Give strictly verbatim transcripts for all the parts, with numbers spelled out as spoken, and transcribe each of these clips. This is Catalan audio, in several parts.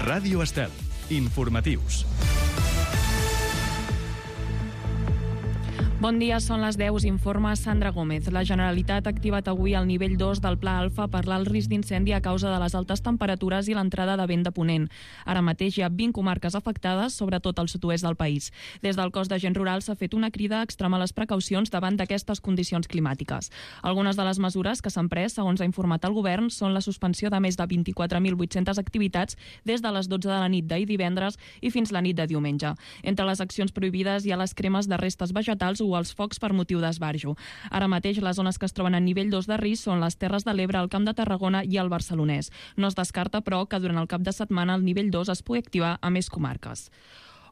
Ràdio Estel. Informatius. Bon dia, són les deu, informa Sandra Gómez. La Generalitat ha activat avui el nivell dos del Pla Alfa per l'alt risc d'incendi a causa de les altes temperatures i l'entrada de vent de ponent. Ara mateix hi ha vint comarques afectades, sobretot al sud-oest del país. Des del cos d'agents rurals s'ha fet una crida a extremar les precaucions davant d'aquestes condicions climàtiques. Algunes de les mesures que s'han pres, segons ha informat el govern, són la suspensió de més de vint-i-quatre mil vuit-centes activitats des de les dotze de la nit d'ahir divendres i fins la nit de diumenge. Entre les accions prohibides hi ha les cremes de restes vegetals o els focs per motiu d'esbarjo. Ara mateix les zones que es troben en nivell dos de risc són les Terres de l'Ebre, el Camp de Tarragona i el Barcelonès. No es descarta, però, que durant el cap de setmana el nivell dos es pugui activar a més comarques.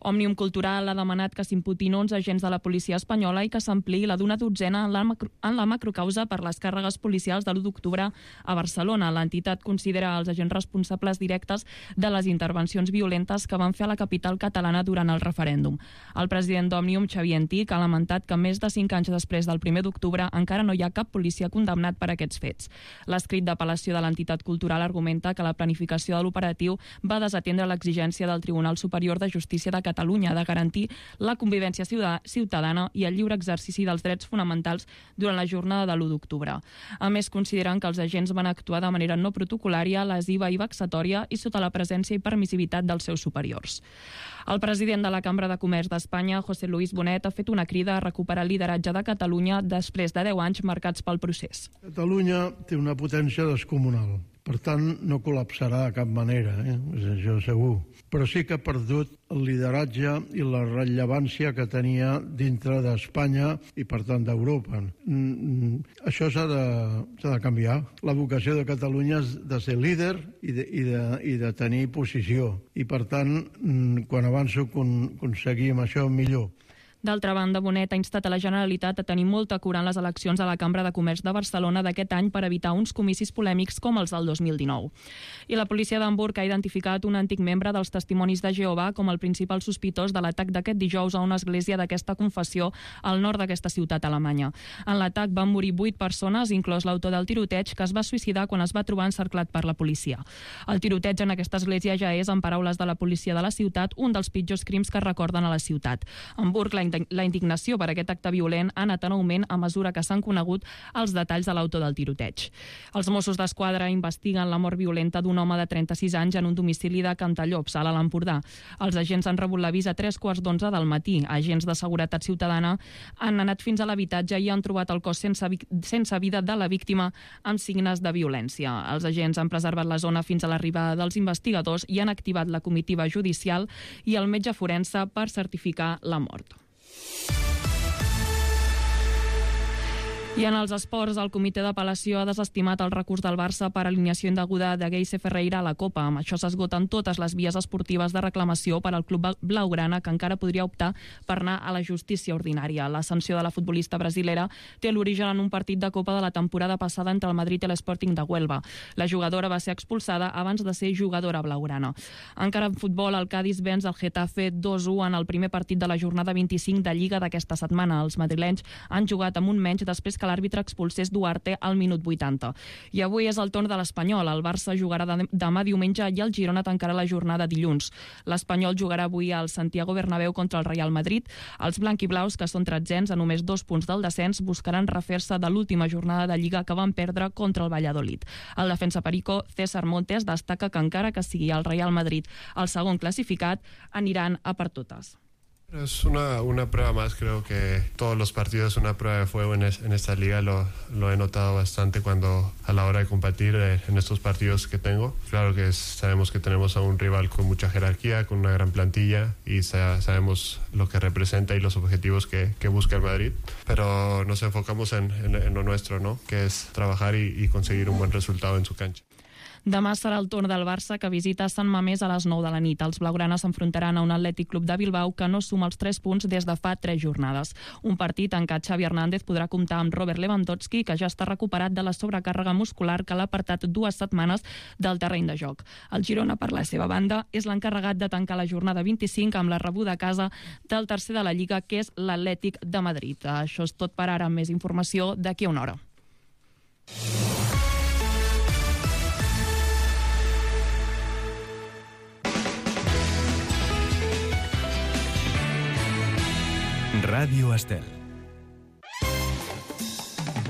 Òmnium Cultural ha demanat que s'imputin onze agents de la policia espanyola i que s'ampliï la d'una dotzena en la, macro, en la macrocausa per les càrregues policials de l'u d'octubre a Barcelona. L'entitat considera els agents responsables directes de les intervencions violentes que van fer a la capital catalana durant el referèndum. El president d'Òmnium, Xavier Antic, ha lamentat que més de cinc anys després del primer d'octubre encara no hi ha cap policia condemnat per aquests fets. L'escrit d'apel·lació de l'entitat cultural argumenta que la planificació de l'operatiu va desatendre l'exigència del Tribunal Superior de Justícia de Catalunya de garantir la convivència ciutadana i el lliure exercici dels drets fonamentals durant la jornada de l'u d'octubre. A més, consideren que els agents van actuar de manera no protocolària, lesiva i vexatòria i sota la presència i permissivitat dels seus superiors. El president de la Cambra de Comerç d'Espanya, José Luis Bonet, ha fet una crida a recuperar el lideratge de Catalunya després de deu anys marcats pel procés. Catalunya té una potència descomunal. Per tant, no col·lapsarà de cap manera, eh? Això segur. Però sí que ha perdut el lideratge i la rellevància que tenia dintre d'Espanya i, per tant, d'Europa. Mm, això s'ha de, s'ha de canviar. La vocació de Catalunya és de ser líder i de, i de, i de tenir posició. I, per tant, quan abans ho aconseguim això, millor. D'altra banda, Bonet ha instat a la Generalitat a tenir molta cura en les eleccions a la Cambra de Comerç de Barcelona d'aquest any per evitar uns comicis polèmics com els del dos mil dinou. I la policia d'Hamburg ha identificat un antic membre dels Testimonis de Jehovà com el principal sospitós de l'atac d'aquest dijous a una església d'aquesta confessió al nord d'aquesta ciutat alemanya. En l'atac van morir vuit persones, inclòs l'autor del tiroteig, que es va suïcidar quan es va trobar encerclat per la policia. El tiroteig en aquesta església ja és, en paraules de la policia de la ciutat, un dels pitjors crims que recorden a la ciutat. Hamburg, la La indignació per aquest acte violent ha anat en augment a mesura que s'han conegut els detalls de l'autor del tiroteig. Els Mossos d'Esquadra investiguen la mort violenta d'un home de trenta-sis anys en un domicili de Cantallops, a l'Alt Empordà. Els agents han rebut l'avís a tres quarts d'onze del matí. Agents de seguretat ciutadana han anat fins a l'habitatge i han trobat el cos sense, sense vida de la víctima amb signes de violència. Els agents han preservat la zona fins a l'arribada dels investigadors i han activat la comitiva judicial i el metge forense per certificar la mort. I en els esports, el comitè d'apel·lació ha desestimat el recurs del Barça per alineació indeguda de Geise Ferreira a la Copa. Amb això s'esgoten totes les vies esportives de reclamació per al club blaugrana, que encara podria optar per anar a la justícia ordinària. La sanció de la futbolista brasilera té l'origen en un partit de Copa de la temporada passada entre el Madrid i l'Sporting de Huelva. La jugadora va ser expulsada abans de ser jugadora blaugrana. Encara en futbol, el Cádiz venç el Getafe dos a u en el primer partit de la jornada vint-i-cinc de Lliga d'aquesta setmana. Els madrilenys han jugat amb un menys després que l'àrbitre expulsés Duarte al minut vuitanta. I avui és el torn de l'Espanyol. El Barça jugarà demà diumenge i el Girona tancarà la jornada dilluns. L'Espanyol jugarà avui al Santiago Bernabéu contra el Real Madrid. Els blanquiblaus, que són tretzens a només dos punts del descens, buscaran refer-se de l'última jornada de Lliga que van perdre contra el Valladolid. El defensa perico César Montes destaca que encara que sigui el Real Madrid el segon classificat, aniran a per totes. Es una, una prueba más, creo que todos los partidos una prueba de fuego en, es, en esta liga, lo, lo he notado bastante cuando a la hora de competir eh, en estos partidos que tengo. Claro que es, sabemos que tenemos a un rival con mucha jerarquía, con una gran plantilla y sa, sabemos lo que representa y los objetivos que, que busca el Madrid, pero nos enfocamos en, en, en lo nuestro, ¿no? Que es trabajar y, y conseguir un buen resultado en su cancha. Demà serà el torn del Barça, que visita Sant Mamés a les nou de la nit. Els blaugranes s'enfrontaran a un Atlètic Club de Bilbao que no suma els tres punts des de fa tres jornades. Un partit en què Xavi Hernández podrà comptar amb Robert Lewandowski, que ja està recuperat de la sobrecàrrega muscular que l'ha apartat dues setmanes del terreny de joc. El Girona, per la seva banda, és l'encarregat de tancar la jornada vint-i-cinc amb la rebuda a casa del tercer de la Lliga, que és l'Atlètic de Madrid. Això és tot per ara. Amb més informació d'aquí a una hora. Ràdio Estel.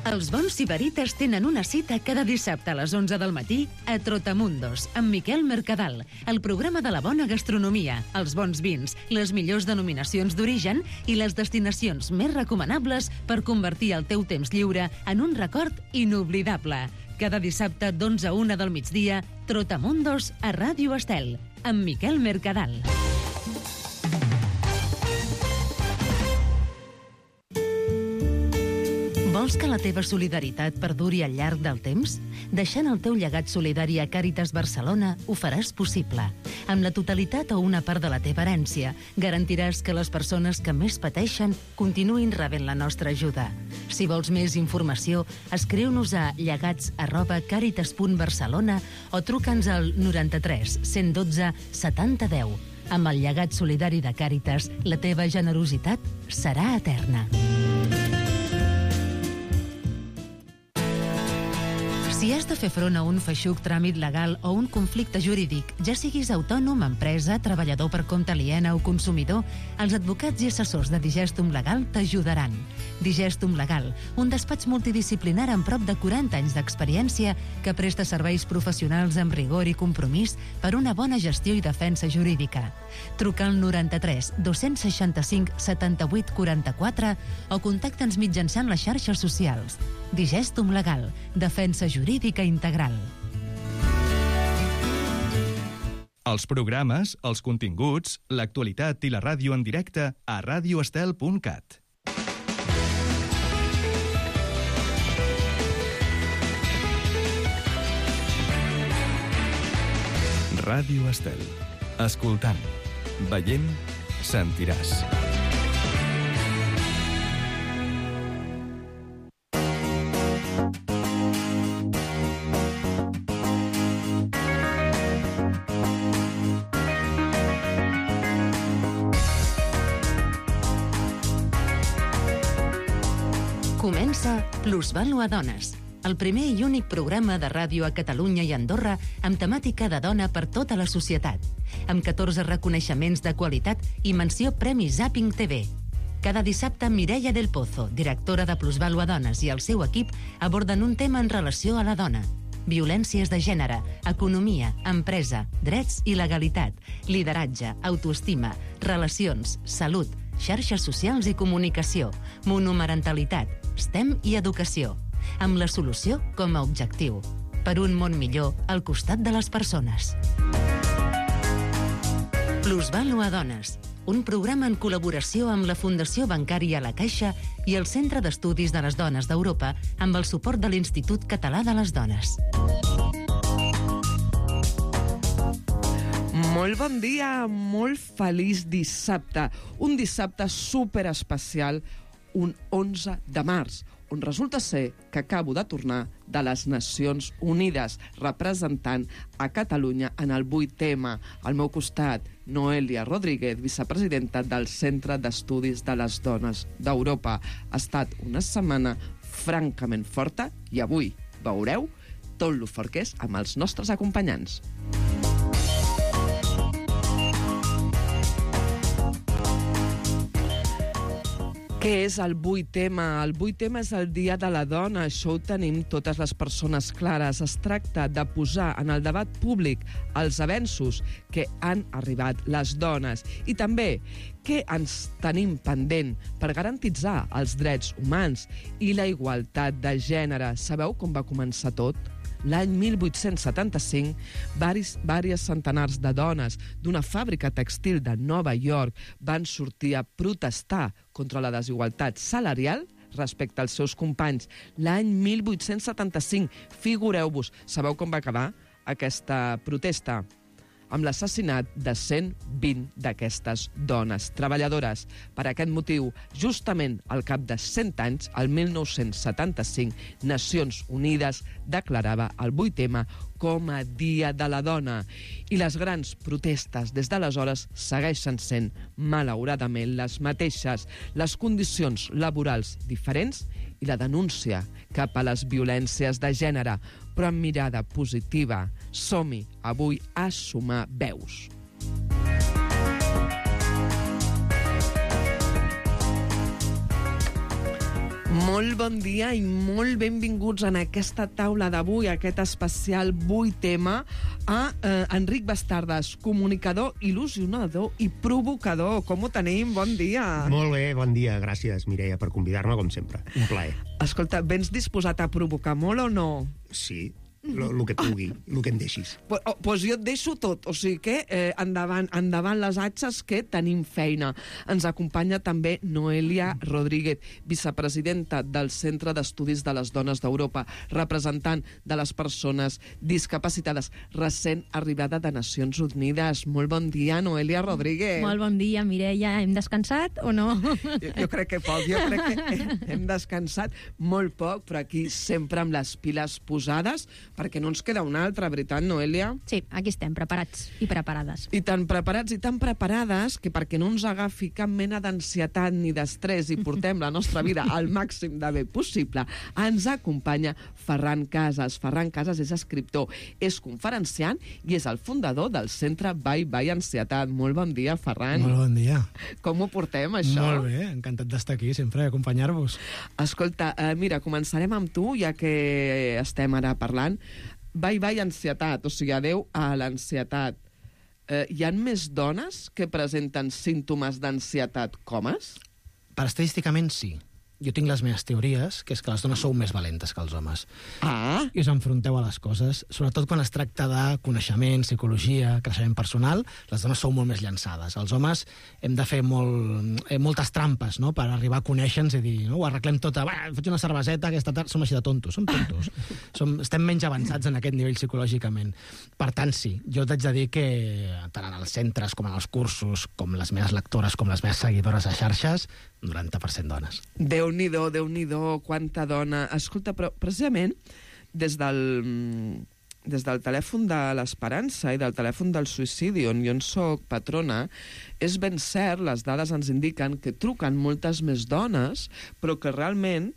Els bons sibarites tenen una cita cada dissabte a les onze del matí a Trotamundos, amb Miquel Mercadal, el programa de la bona gastronomia, els bons vins, les millors denominacions d'origen i les destinacions més recomanables per convertir el teu temps lliure en un record inoblidable. Cada dissabte d'onze a una del migdia, Trotamundos a Ràdio Estel, amb Miquel Mercadal. Vols que la teva solidaritat perduri al llarg del temps? Deixant el teu llegat solidari a Càritas Barcelona ho faràs possible. Amb la totalitat o una part de la teva herència, garantiràs que les persones que més pateixen continuïn rebent la nostra ajuda. Si vols més informació, escriu-nos a llegats arroba càritas punt barcelona o truca'ns al noranta-tres cent dotze setanta deu. Amb el llegat solidari de Càritas, la teva generositat serà eterna. Si has de fer front a un feixuc tràmit legal o un conflicte jurídic, ja siguis autònom, empresa, treballador per compte aliena o consumidor, els advocats i assessors de Digestum Legal t'ajudaran. Digestum Legal, un despatx multidisciplinar amb prop de quaranta anys d'experiència que presta serveis professionals amb rigor i compromís per una bona gestió i defensa jurídica. Truca al noranta-tres dos-cents seixanta-cinc setanta-vuit quaranta-quatre o contacta'ns mitjançant les xarxes socials. Digestum Legal, defensa jurídica integral. Els programes, els continguts, l'actualitat i la ràdio en directe a radio estel punt cat. Ràdio Estel. Escoltant, veient, sentiràs. Comença Plusvàlua Dones, el primer i únic programa de ràdio a Catalunya i Andorra amb temàtica de dona per tota la societat, amb catorze reconeixements de qualitat i menció Premi Zapping T V. Cada dissabte, Mireia del Pozo, directora de Plusvàlua Dones, i el seu equip aborden un tema en relació a la dona. Violències de gènere, economia, empresa, drets i legalitat, lideratge, autoestima, relacions, salut, xarxes socials i comunicació, monomarentalitat, S T E M i educació, amb la solució com a objectiu. Per un món millor al costat de les persones. Plusvàlua Dones, un programa en col·laboració amb la Fundació Bancària La Caixa i el Centre d'Estudis de les Dones d'Europa amb el suport de l'Institut Català de les Dones. Molt bon dia, molt feliç dissabte. Un dissabte superespecial, un onze de març, on resulta ser que acabo de tornar de les Nacions Unides, representant a Catalunya en el vuit M. Al meu costat, Noelia Rodríguez, vicepresidenta del Centre d'Estudis de les Dones d'Europa. Ha estat una setmana francament forta i avui veureu tot lo fort que és amb els nostres acompanyants. Què és el vuit M? El vuit M és el Dia de la Dona, això ho tenim totes les persones clares. Es tracta de posar en el debat públic els avenços que han arribat les dones i també què ens tenim pendent per garantitzar els drets humans i la igualtat de gènere. Sabeu com va començar tot? L'any mil vuit-cents setanta-cinc, diversos centenars de dones d'una fàbrica tèxtil de Nova York van sortir a protestar contra la desigualtat salarial respecte als seus companys. L'any mil vuit-cents setanta-cinc, figureu-vos, sabeu com va acabar aquesta protesta? Amb l'assassinat de cent vint d'aquestes dones treballadores. Per aquest motiu, justament al cap de cent anys, el mil nou-cents setanta-cinc, Nacions Unides declarava el vuit M com a Dia de la Dona. I les grans protestes des d'aleshores segueixen sent, malauradament, les mateixes. Les condicions laborals diferents i la denúncia cap a les violències de gènere, però amb mirada positiva. Som-hi avui a sumar veus. Molt bon dia i molt benvinguts en aquesta taula d'avui, aquest especial Vull Tema, a eh, Enric Bastardes, comunicador, il·lusionador i provocador. Com ho tenim? Bon dia. Molt bé, bon dia. Gràcies, Mireia, per convidar-me, com sempre. Un plaer. Escolta, vens disposat a provocar molt o no? Sí, el que pugui, el que em deixis. Pues, oh, pues jo et deixo tot, o sigui que eh, endavant, endavant les atxes, que tenim feina. Ens acompanya també Noelia Rodríguez, vicepresidenta del Centre d'Estudis de les Dones d'Europa, representant de les persones discapacitades, recent arribada de Nacions Unides. Molt bon dia, Noelia Rodríguez. Molt bon dia, Mireia. Hem descansat o no? Jo, jo crec que poc, jo crec que hem descansat molt poc, però aquí sempre amb les piles posades, perquè no ens queda una altra, veritat, Noelia? Sí, aquí estem, preparats i preparades. I tan preparats i tan preparades que perquè no ens agafi cap mena d'ansietat ni d'estrès i portem la nostra vida al màxim de bé possible, ens acompanya Ferran Casas. Ferran Casas és escriptor, és conferenciant i és el fundador del centre Bye Bye Ansietat. Molt bon dia, Ferran. Molt bon dia. Com ho portem, això? Molt bé, encantat d'estar aquí, sempre, acompanyar-vos. Escolta, eh, mira, començarem amb tu, ja que estem ara parlant. Bye bye ansietat, o sigui, adeu a l'ansietat. Eh, hi ha més dones que presenten símptomes d'ansietat que homes? Per estadísticament, sí. Jo tinc les meves teories, que és que les dones sou més valentes que els homes. Ah! I us enfronteu a les coses, sobretot quan es tracta de coneixement, psicologia, creixement personal, les dones sou molt més llançades. Els homes hem de fer molt, eh, moltes trampes, no?, per arribar a conèixer-nos i dir, no?, ho arreglem tot, va, faig una cerveseta aquesta tarda, som així de tontos, som tontos. som, estem menys avançats en aquest nivell psicològicament. Per tant, sí, jo t'haig de dir que tant en els centres com en els cursos, com les meves lectores, com les meves seguidores a xarxes, noranta per cent dones. Déu-n'hi-do, Déu-n'hi-do, quanta dona. Escolta, però precisament des del, des del telèfon de l'Esperança i del telèfon del suïcidi, on jo en soc patrona, és ben cert, les dades ens indiquen que truquen moltes més dones, però que realment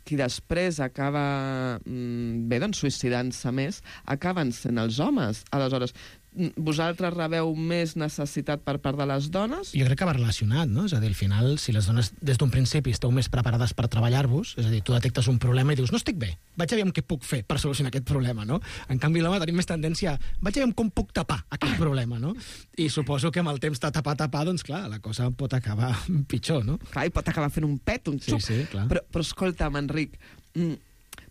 qui després acaba bé, doncs, suïcidant-se més, acaben sent els homes. Aleshores, vosaltres rebeu més necessitat per part de les dones? Jo crec que va relacionat, no? És a dir, al final, si les dones des d'un principi esteu més preparades per treballar-vos, és a dir, tu detectes un problema i dius, no estic bé, vaig a veure què puc fer per solucionar aquest problema, no? En canvi, l'home tenim més tendència a, vaig a veure com puc tapar aquest problema, no? I suposo que amb el temps de tapar, tapar, doncs clar, la cosa pot acabar pitjor, no? Clar, i pot acabar fent un pet, un xup. Sí, sí, clar. Però, però escolta'm, Enric,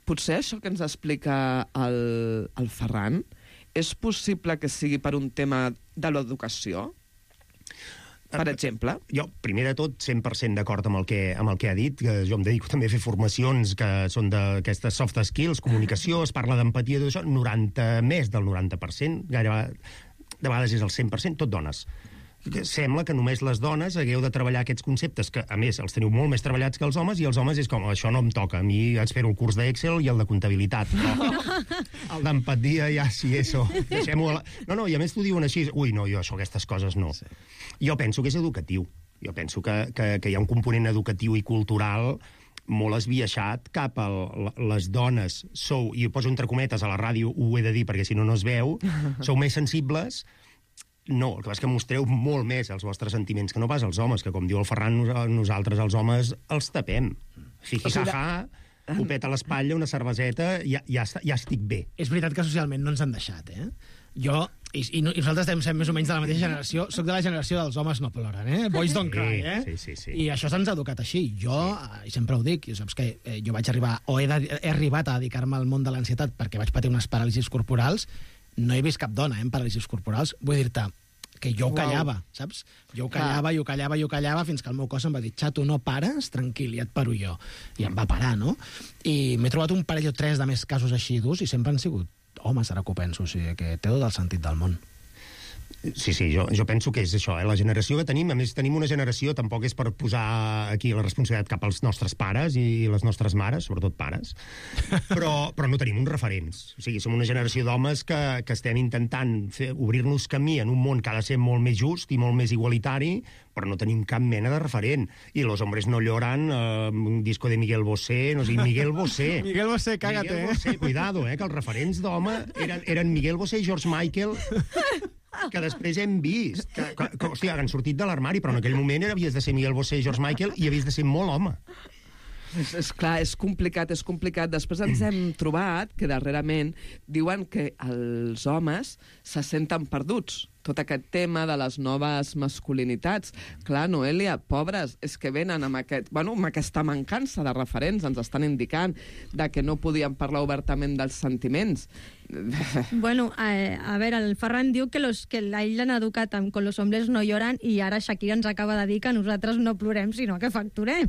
potser això que ens explica el, el Ferran, és possible que sigui per un tema de l'educació? Per exemple? Jo, primer de tot, cent per cent d'acord amb el que, amb el que ha dit, que jo em dedico també a fer formacions que són d'aquestes soft skills, comunicació, es parla d'empatia, tot això, noranta, més del noranta per cent, gairebé, de vegades és el cent per cent, tot dones. Sembla que només les dones hagueu de treballar aquests conceptes, que a més els teniu molt més treballats que els homes, i els homes és com, això no em toca, a mi espero el curs d'Excel i el de comptabilitat, però el d'empatia ja sí, això, deixem-ho a la... No, no, i a més t'ho diuen així, ui, no, jo això, aquestes coses no. Sí. Jo penso que és educatiu, jo penso que, que, que hi ha un component educatiu i cultural molt esbiaixat cap a les dones. Sou, i ho poso entre cometes, a la ràdio ho he de dir perquè si no no es veu, sou més sensibles. No, el que passa és que mostreu molt més els vostres sentiments que no pas els homes, que com diu el Ferran, nosaltres els homes els tapem. Jiji-jaja, copet a l'espatlla, una cerveseta, ja, ja, ja estic bé. És veritat que socialment no ens han deixat, eh? Jo, i, i nosaltres devem ser més o menys de la mateixa generació, soc de la generació dels homes no ploren, eh? Boys don't cry, eh? Sí, sí, sí. I això se'ns ha educat així. Jo, sí. I sempre ho dic, saps que eh, jo vaig arribar, o he, de, he arribat a dedicar-me al món de l'ansietat perquè vaig patir unes paràlisis corporals. No he vist cap dona, eh, amb paràlisis corporals. Vull dir-te que jo ho callava, wow. Saps? Jo ho callava, i ho callava, i ho callava, fins que el meu cos em va dir, xato, no pares, tranquil, ja et paro jo. I em va parar, no? I m'he trobat un parell o tres de més casos així durs, i sempre han sigut homes, ara que ho penso, o sigui que té tot el sentit del món. Sí, sí, jo, jo penso que és això, eh? La generació que tenim, a més tenim una generació, tampoc és per posar aquí la responsabilitat cap als nostres pares i les nostres mares, sobretot pares, però, però no tenim uns referents. O sigui, som una generació d'homes que, que estem intentant fer, obrir-nos camí en un món que ha de ser molt més just i molt més igualitari, però no tenim cap mena de referent. I los hombres no lloran, eh, un disco de Miguel Bosé, no sé, Miguel Bosé. Miguel Bosé, cágate, Miguel Bosé, eh? Cuidado, eh, que els referents d'home eren, eren Miguel Bosé i George Michael, que després hem vist, que, que, que hòstia, han sortit de l'armari, però en aquell moment havies de ser Miguel Bosé i George Michael i havies de ser molt home. És, és clar, és complicat, és complicat. Després ens hem trobat que darrerament diuen que els homes se senten perduts. Tot aquest tema de les noves masculinitats. Clar, Noelia, pobres, és que venen amb, aquest, bueno, amb aquesta mancança de referents, ens estan indicant de que no podien parlar obertament dels sentiments. Bueno, a, a veure, el Ferran diu que, los, que a ell l'han educat amb con los hombres no lloran i ara Shakira ens acaba de dir que nosaltres no plorem, sinó que facturem.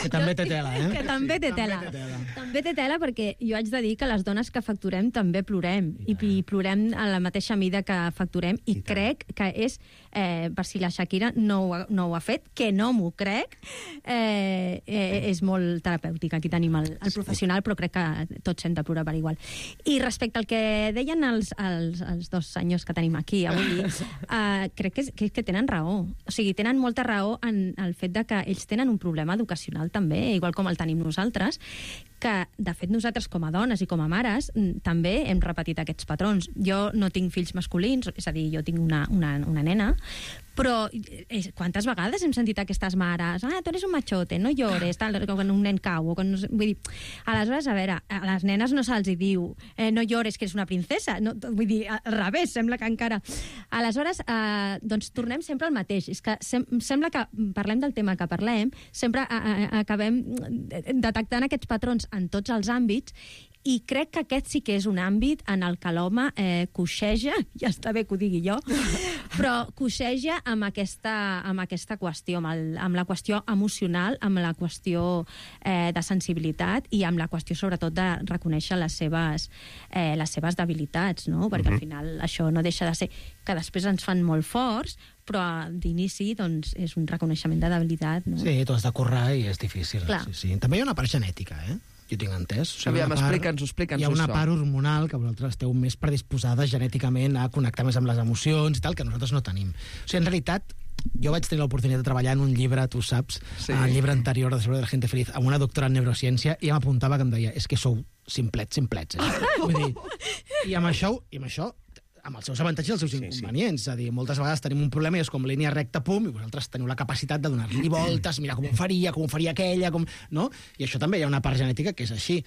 Que també té tela, eh? Que també té tela. També té tela. També té tela perquè jo haig de dir que les dones que facturem també plorem i, i plorem a la mateixa mida que facturem i, I crec que és, eh, per si la Shakira no ho, ha, no ho ha fet, que no m'ho crec, eh, eh, és molt terapèutic. Aquí tenim el, el professional, però crec que tots hem de plorar per igual. I respecte al que deien els, els, els dos senyors que tenim aquí avui, uh, crec que, que, que tenen raó. O sigui, tenen molta raó en el fet de que ells tenen un problema educacional també, igual com el tenim nosaltres, que, de fet, nosaltres com a dones i com a mares també hem repetit aquests patrons. Jo no tinc fills masculins, és a dir, jo tinc una, una, una nena, però eh, quantes vegades hem sentit aquestes mares, ah, tu eres un machote, no llores, tal, quan un nen cau, o quan no, vull dir, aleshores, a veure, a les nenes no se'ls diu, eh, no llores que eres una princesa, no, vull dir, al revés, sembla que encara... Aleshores, eh, doncs tornem sempre al mateix, és que sem sembla que parlem del tema que parlem, sempre a, a, acabem detectant aquests patrons en tots els àmbits, i crec que aquest sí que és un àmbit en el que l'home eh, coixeja, ja està bé que ho digui jo, però coixeja amb aquesta, amb aquesta qüestió, amb, el, amb la qüestió emocional, amb la qüestió eh, de sensibilitat i amb la qüestió, sobretot, de reconèixer les seves, eh, les seves debilitats, no? Perquè, uh-huh, al final això no deixa de ser que després ens fan molt forts, però d'inici doncs, és un reconeixement de debilitat. No? Sí, tu has de currar i és difícil. Sí, sí. També hi ha una part genètica, eh? Jo tinc entès. O sigui, Aviam, explica'ns-ho, explica'ns-ho. Hi ha una això. part hormonal que vosaltres esteu més predisposades genèticament a connectar més amb les emocions i tal, que nosaltres no tenim. O sigui, en realitat, jo vaig tenir l'oportunitat de treballar en un llibre, tu saps, sí, el llibre anterior de Seguro de la Gente Feliz, amb una doctora en neurociència, i m'apuntava que em deia, és que sou simplets, simplets. Eh? Vull dir, i amb això, i amb això amb els seus avantatges i els seus inconvenients. Sí, sí. És a dir, moltes vegades tenim un problema i és com línia recta, pum, i vosaltres teniu la capacitat de donar-li voltes, mirar com ho faria, com ho faria aquella, com... no? I això també hi ha una part genètica que és així.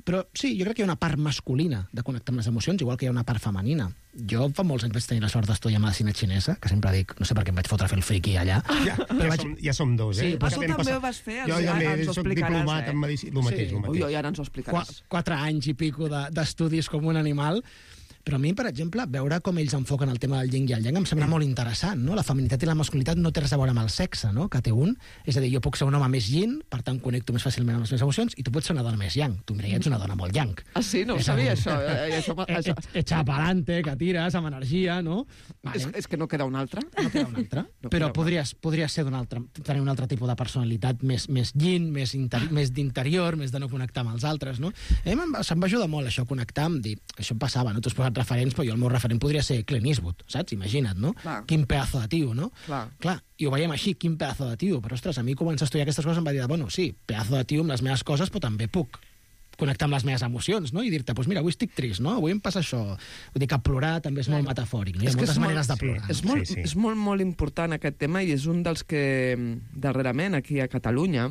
Però sí, jo crec que hi ha una part masculina de connectar amb les emocions, igual que hi ha una part femenina. Jo fa molts anys vaig tenir la sort d'estudiar medicina xinesa, que sempre dic, no sé per què em vaig fotre a fer el friqui allà. Ja, ja, vaig... som, ja som dos, eh? Sí, però tu també passat... ho vas fer, jo ja també ens ho soc explicaràs, diplomat eh? en medicina, el mateix, sí. el mateix. Ui, ui, ara ens ho explicaràs. Qu quatre anys i pico d'estudis de, com un animal. Però a mi, per exemple, veure com ells enfoquen el tema del yin i el yang em sembla molt interessant, no? La feminitat i la masculinitat no té res a veure amb el sexe, no? Que té un. És a dir, jo puc ser un home més yin, per tant connecto més fàcilment amb les meves emocions, i tu pots ser una dona més yang. Tu, Mireia, ets una dona molt yang. Ah, sí? No ho sabia, això. Eh, això, això. Echa pa'lante, que tires, amb energia, no? Vale. És, és que no queda un altre? No queda un altre. No però podries, podries ser d'un altre, tenir un altre tipus de personalitat més, més yin, més, interi més d'interior, més de no connectar amb els altres, no? A mi se'm va ajudar molt això, connectar amb dir, això em passava, no? Tu has posat referents, però jo el meu referent podria ser Clint Eastwood, saps? Imagina't, no? Clar. Quin pedazo de tio, no? Clar. Clar, i ho veiem així, quin pedazo de tio, però ostres, a mi començar a estudiar aquestes coses em va dir, bueno, sí, pedazo de tio amb les meves coses, però també puc connectar amb les meves emocions, no? I dir-te, doncs mira, avui estic trist, no? Avui em passa això. Vull dir que plorar també és molt metafòric, no? Hi ha moltes maneres de plorar. És molt, sí, sí. és molt, molt important aquest tema i és un dels que darrerament aquí a Catalunya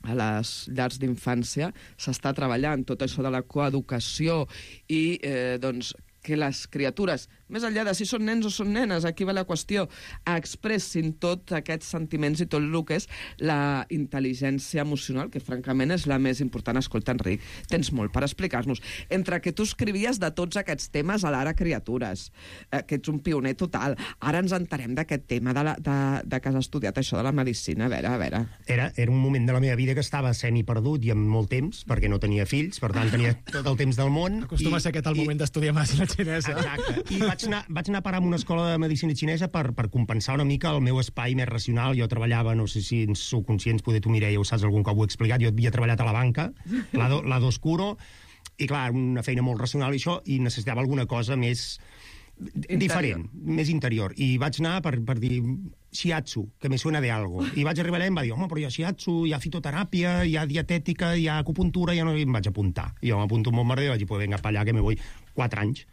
a les llars d'infància s'està treballant tot això de la coeducació i eh, doncs que les criatures, més enllà de si són nens o són nenes, aquí va la qüestió, expressin tots aquests sentiments i tot el que és la intel·ligència emocional, que francament és la més important. Escolta, Enric, tens molt per explicar-nos. Entre que tu escrivies de tots aquests temes a l'Ara Criatures, eh, que ets un pioner total, ara ens enterem d'aquest tema de, la, de, de que has estudiat això de la medicina. A veure, a veure. Era, era un moment de la meva vida que estava semi-perdut i amb molt temps, perquè no tenia fills, per tant tenia tot el temps del món. Acostuma i, a ser aquest el moment d'estudiar medicina xinesa. Exacte. I vaig anar, vaig anar a parar a una escola de medicina xinesa per, per compensar una mica el meu espai més racional. Jo treballava, no sé si en sou conscients, poder tu, Mireia, ho saps, algun cop ho he explicat, jo havia treballat a la banca, lado, lado oscuro, i clar, una feina molt racional i això, i necessitava alguna cosa més interior. Diferent, més interior. I vaig anar per, per dir shiatsu, que me suena de algo. I vaig arribar allà i em va dir, home, però hi ha shiatsu, hi ha fitoteràpia, hi ha dietètica, hi ha acupuntura, ja no... I em vaig apuntar. I jo m'apunto un bon merder i vaig dir, pues venga, pa allà, que me voy quatre anys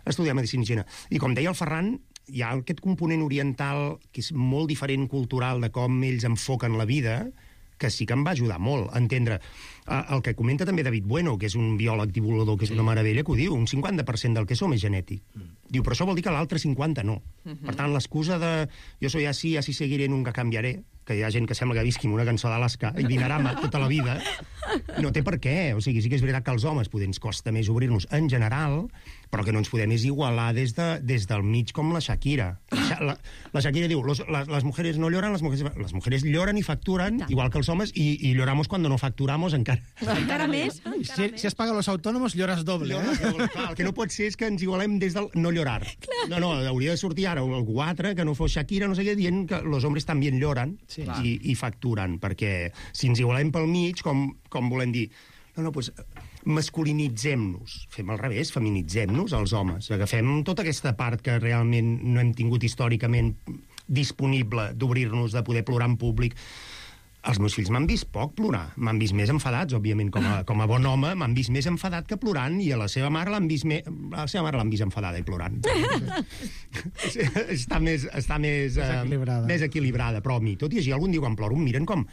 a estudiar medicina xina. I com deia el Ferran, hi ha aquest component oriental que és molt diferent cultural de com ells enfoquen la vida, que sí que em va ajudar molt a entendre. El que comenta també David Bueno, que és un biòleg divulgador, que és una meravella, que ho diu, un cinquanta per cent del que som és genètic. Diu, però això vol dir que l'altre cinquanta no. Per tant, l'excusa de jo soy así, así seguiré, nunca cambiaré, que hi ha gent que sembla que visqui amb una cançó d'Alaska i Dinarama tota la vida, no té per què. O sigui, sí que és veritat que als homes poder ens costa més obrir-nos en general, però que no ens podem és igualar des, de, des del mig com la Shakira. La, la, la Shakira diu, los, las, las mujeres no lloran, las mujeres, las mujeres lloran i facturan, igual que els homes, i, i lloramos cuando no facturamos encara. Encara més? Si, si es paga los autónomos, llores doble. Llores eh? doble. Clar, el que no pot ser és que ens igualem des del no llorar. Clar. No, no, hauria de sortir ara algú altre que no fos Shakira, no sé què, dient que los hombres també lloren sí. i, i facturen, perquè si ens igualem pel mig, com, com volem dir, no, no, doncs masculinitzem-nos, fem al revés, feminitzem-nos els homes, agafem tota aquesta part que realment no hem tingut històricament disponible d'obrir-nos, de poder plorar en públic. Els meus fills m'han vist poc plorar, m'han vist més enfadats, òbviament, com a, com a bon home, m'han vist més enfadat que plorant, i a la seva mare l'han vist, me... la seva mare l'han vist enfadada i plorant. està més, està més, més, equilibrada. Uh, més equilibrada, però a mi, tot i així, algun dia quan ploro em miren com,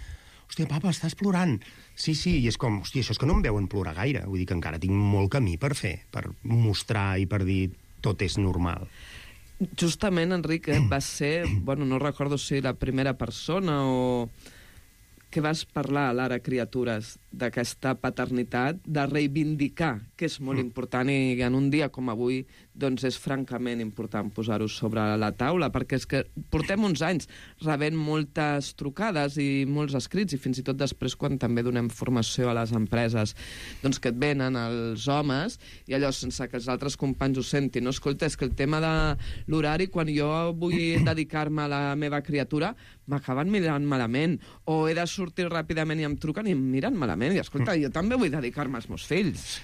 hòstia, papa, estàs plorant. Sí, sí, i és com, hòstia, això és que no em veuen plorar gaire, vull dir que encara tinc molt camí per fer, per mostrar i per dir tot és normal. Justament, Enric, va ser, bueno, no recordo si la primera persona o que vas parlar, Lara Criatures, d'aquesta paternitat, de reivindicar, que és molt important, i en un dia com avui doncs és francament important posar-ho sobre la taula, perquè és que portem uns anys rebent moltes trucades i molts escrits, i fins i tot després quan també donem formació a les empreses, doncs que et venen els homes, i allò sense que els altres companys ho sentin. No, escolta, és que el tema de l'horari, quan jo vull dedicar-me a la meva criatura, m'acaben mirant malament, o he de sortir ràpidament i em truquen i em miren malament, i escolta, jo també vull dedicar-me als meus fills.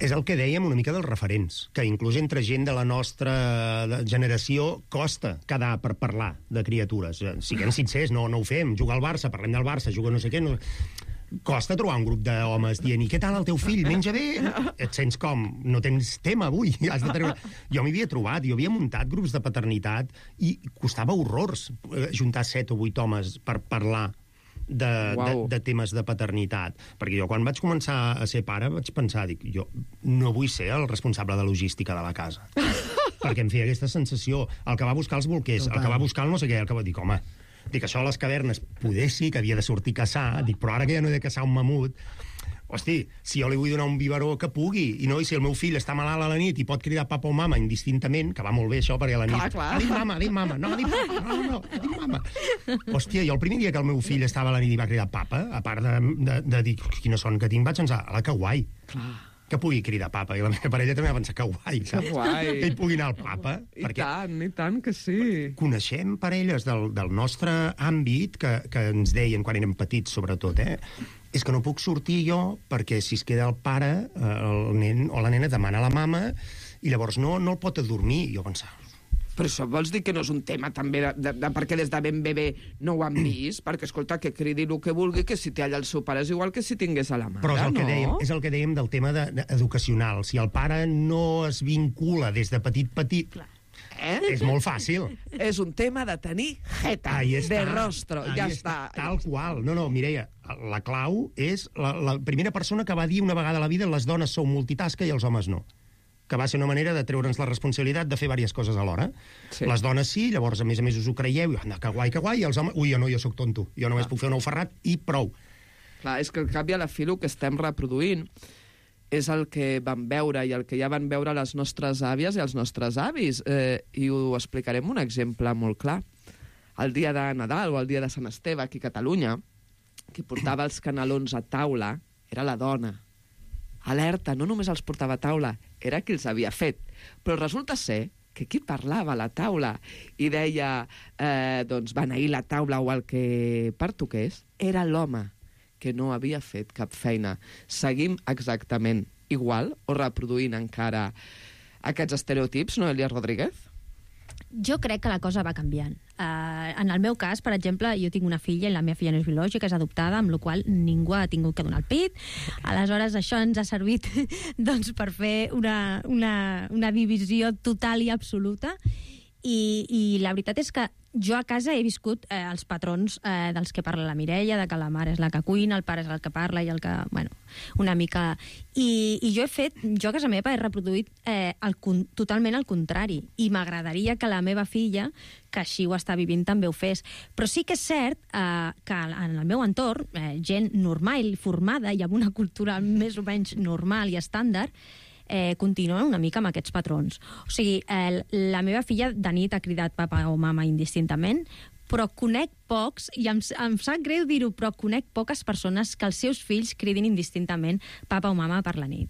És el que dèiem una mica dels referents, que inclús entre gent de la nostra generació costa quedar per parlar de criatures. Siguem sincers, no, no ho fem. Juga al Barça, parlem del Barça, juga no sé què... No... Costa trobar un grup d'homes dient, i què tal el teu fill, menja bé? Et sents com? No tens tema avui. Has de treure... Jo m'hi havia trobat, jo havia muntat grups de paternitat i costava horrors juntar set o vuit homes per parlar de, wow. de, de temes de paternitat. Perquè jo quan vaig començar a ser pare vaig pensar, dic, jo no vull ser el responsable de logística de la casa. Perquè em feia aquesta sensació, el que va buscar els bolquers, el que va buscar el no sé què, el que va dir, home, dic, això a les cavernes poder sí que havia de sortir a caçar, dic, però ara que ja no he de caçar un mamut, hosti, si jo li vull donar un biberó que pugui, i no, i si el meu fill està malalt a la nit i pot cridar papa o mama indistintament, que va molt bé això, perquè a la nit... Clar, clar. Ah, dic mama, dic mama, no, dic papa, no, no, no, dic mama. Hòstia, jo el primer dia que el meu fill estava a la nit i va cridar papa, a part de, de, de dir quina son que tinc, vaig pensar, ala, que guai. Clar. Que pugui cridar papa, i la meva parella també va pensar que guai, saps? Que guai. Que ell pugui anar al papa. I tant, i tant que sí. Coneixem parelles del, del nostre àmbit que, que ens deien, quan érem petits, sobretot, eh? És que no puc sortir jo perquè si es queda el pare, el nen o la nena demana a la mama i llavors no, no el pot adormir. I jo pensava... Però això vols dir que no és un tema també de, de, de perquè des de ben bebè no ho han vist? Perquè, escolta, que cridi el que vulgui, que si té allà el seu pare és igual que si tingués a la mare, Però és el, no? que dèiem, és el que dèiem del tema de, de, educacional. Si el pare no es vincula des de petit-petit, eh? és molt fàcil. És un tema de tenir jeta, de rostro, ja està. Tal qual. No, no, Mireia, la clau és la, la primera persona que va dir una vegada a la vida les dones sou multitasca i els homes no. Que va ser una manera de treure'ns la responsabilitat de fer diverses coses alhora. Sí. Les dones sí, llavors a més a més us ho creieu, i anda, que guai, que guai, i els homes, ui, jo no, jo sóc tonto, jo només puc fer un ou ferrat i prou. Clar, és que al cap i a la fi el que estem reproduint és el que van veure i el que ja van veure les nostres àvies i els nostres avis, eh, i ho explicarem un exemple molt clar. El dia de Nadal o el dia de Sant Esteve aquí a Catalunya, qui portava els canelons a taula era la dona. Alerta, no només els portava a taula, era qui els havia fet. Però resulta ser que qui parlava a la taula i deia, eh, doncs, beneir la taula o el que pertoqués, era l'home, que no havia fet cap feina. Seguim exactament igual o reproduint encara aquests estereotips, no, Elia Rodríguez? Jo crec que la cosa va canviant. Uh, en el meu cas, per exemple, jo tinc una filla i la meva filla no és biològica, és adoptada, amb la qual ningú ha tingut que donar el pit. Aleshores, això ens ha servit doncs, per fer una, una, una divisió total i absoluta. I, i la veritat és que jo a casa he viscut eh, els patrons eh, dels que parla la Mireia, de que la mare és la que cuina, el pare és el que parla i el que... Bueno, una mica... I, i jo he fet... Jo a casa meva he reproduït eh, el, totalment el contrari. I m'agradaria que la meva filla, que així ho està vivint, també ho fes. Però sí que és cert eh, que en el meu entorn, eh, gent normal, formada i amb una cultura més o menys normal i estàndard, Eh, continuen una mica amb aquests patrons. O sigui, eh, la meva filla de nit ha cridat papa o mama indistintament, però conec pocs, i em, em sap greu dir-ho, però conec poques persones que els seus fills cridin indistintament papa o mama per la nit.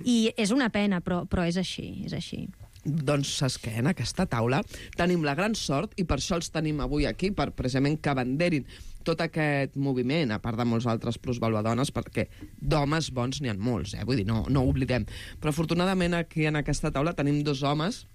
I és una pena, però, però és així, és així. Doncs saps què? En aquesta taula tenim la gran sort, i per això els tenim avui aquí, per precisament que abanderin tot aquest moviment, a part de molts altres plusvaluadones, perquè d'homes bons n'hi ha molts, eh? Vull dir, no, no ho oblidem. Però afortunadament aquí en aquesta taula tenim dos homes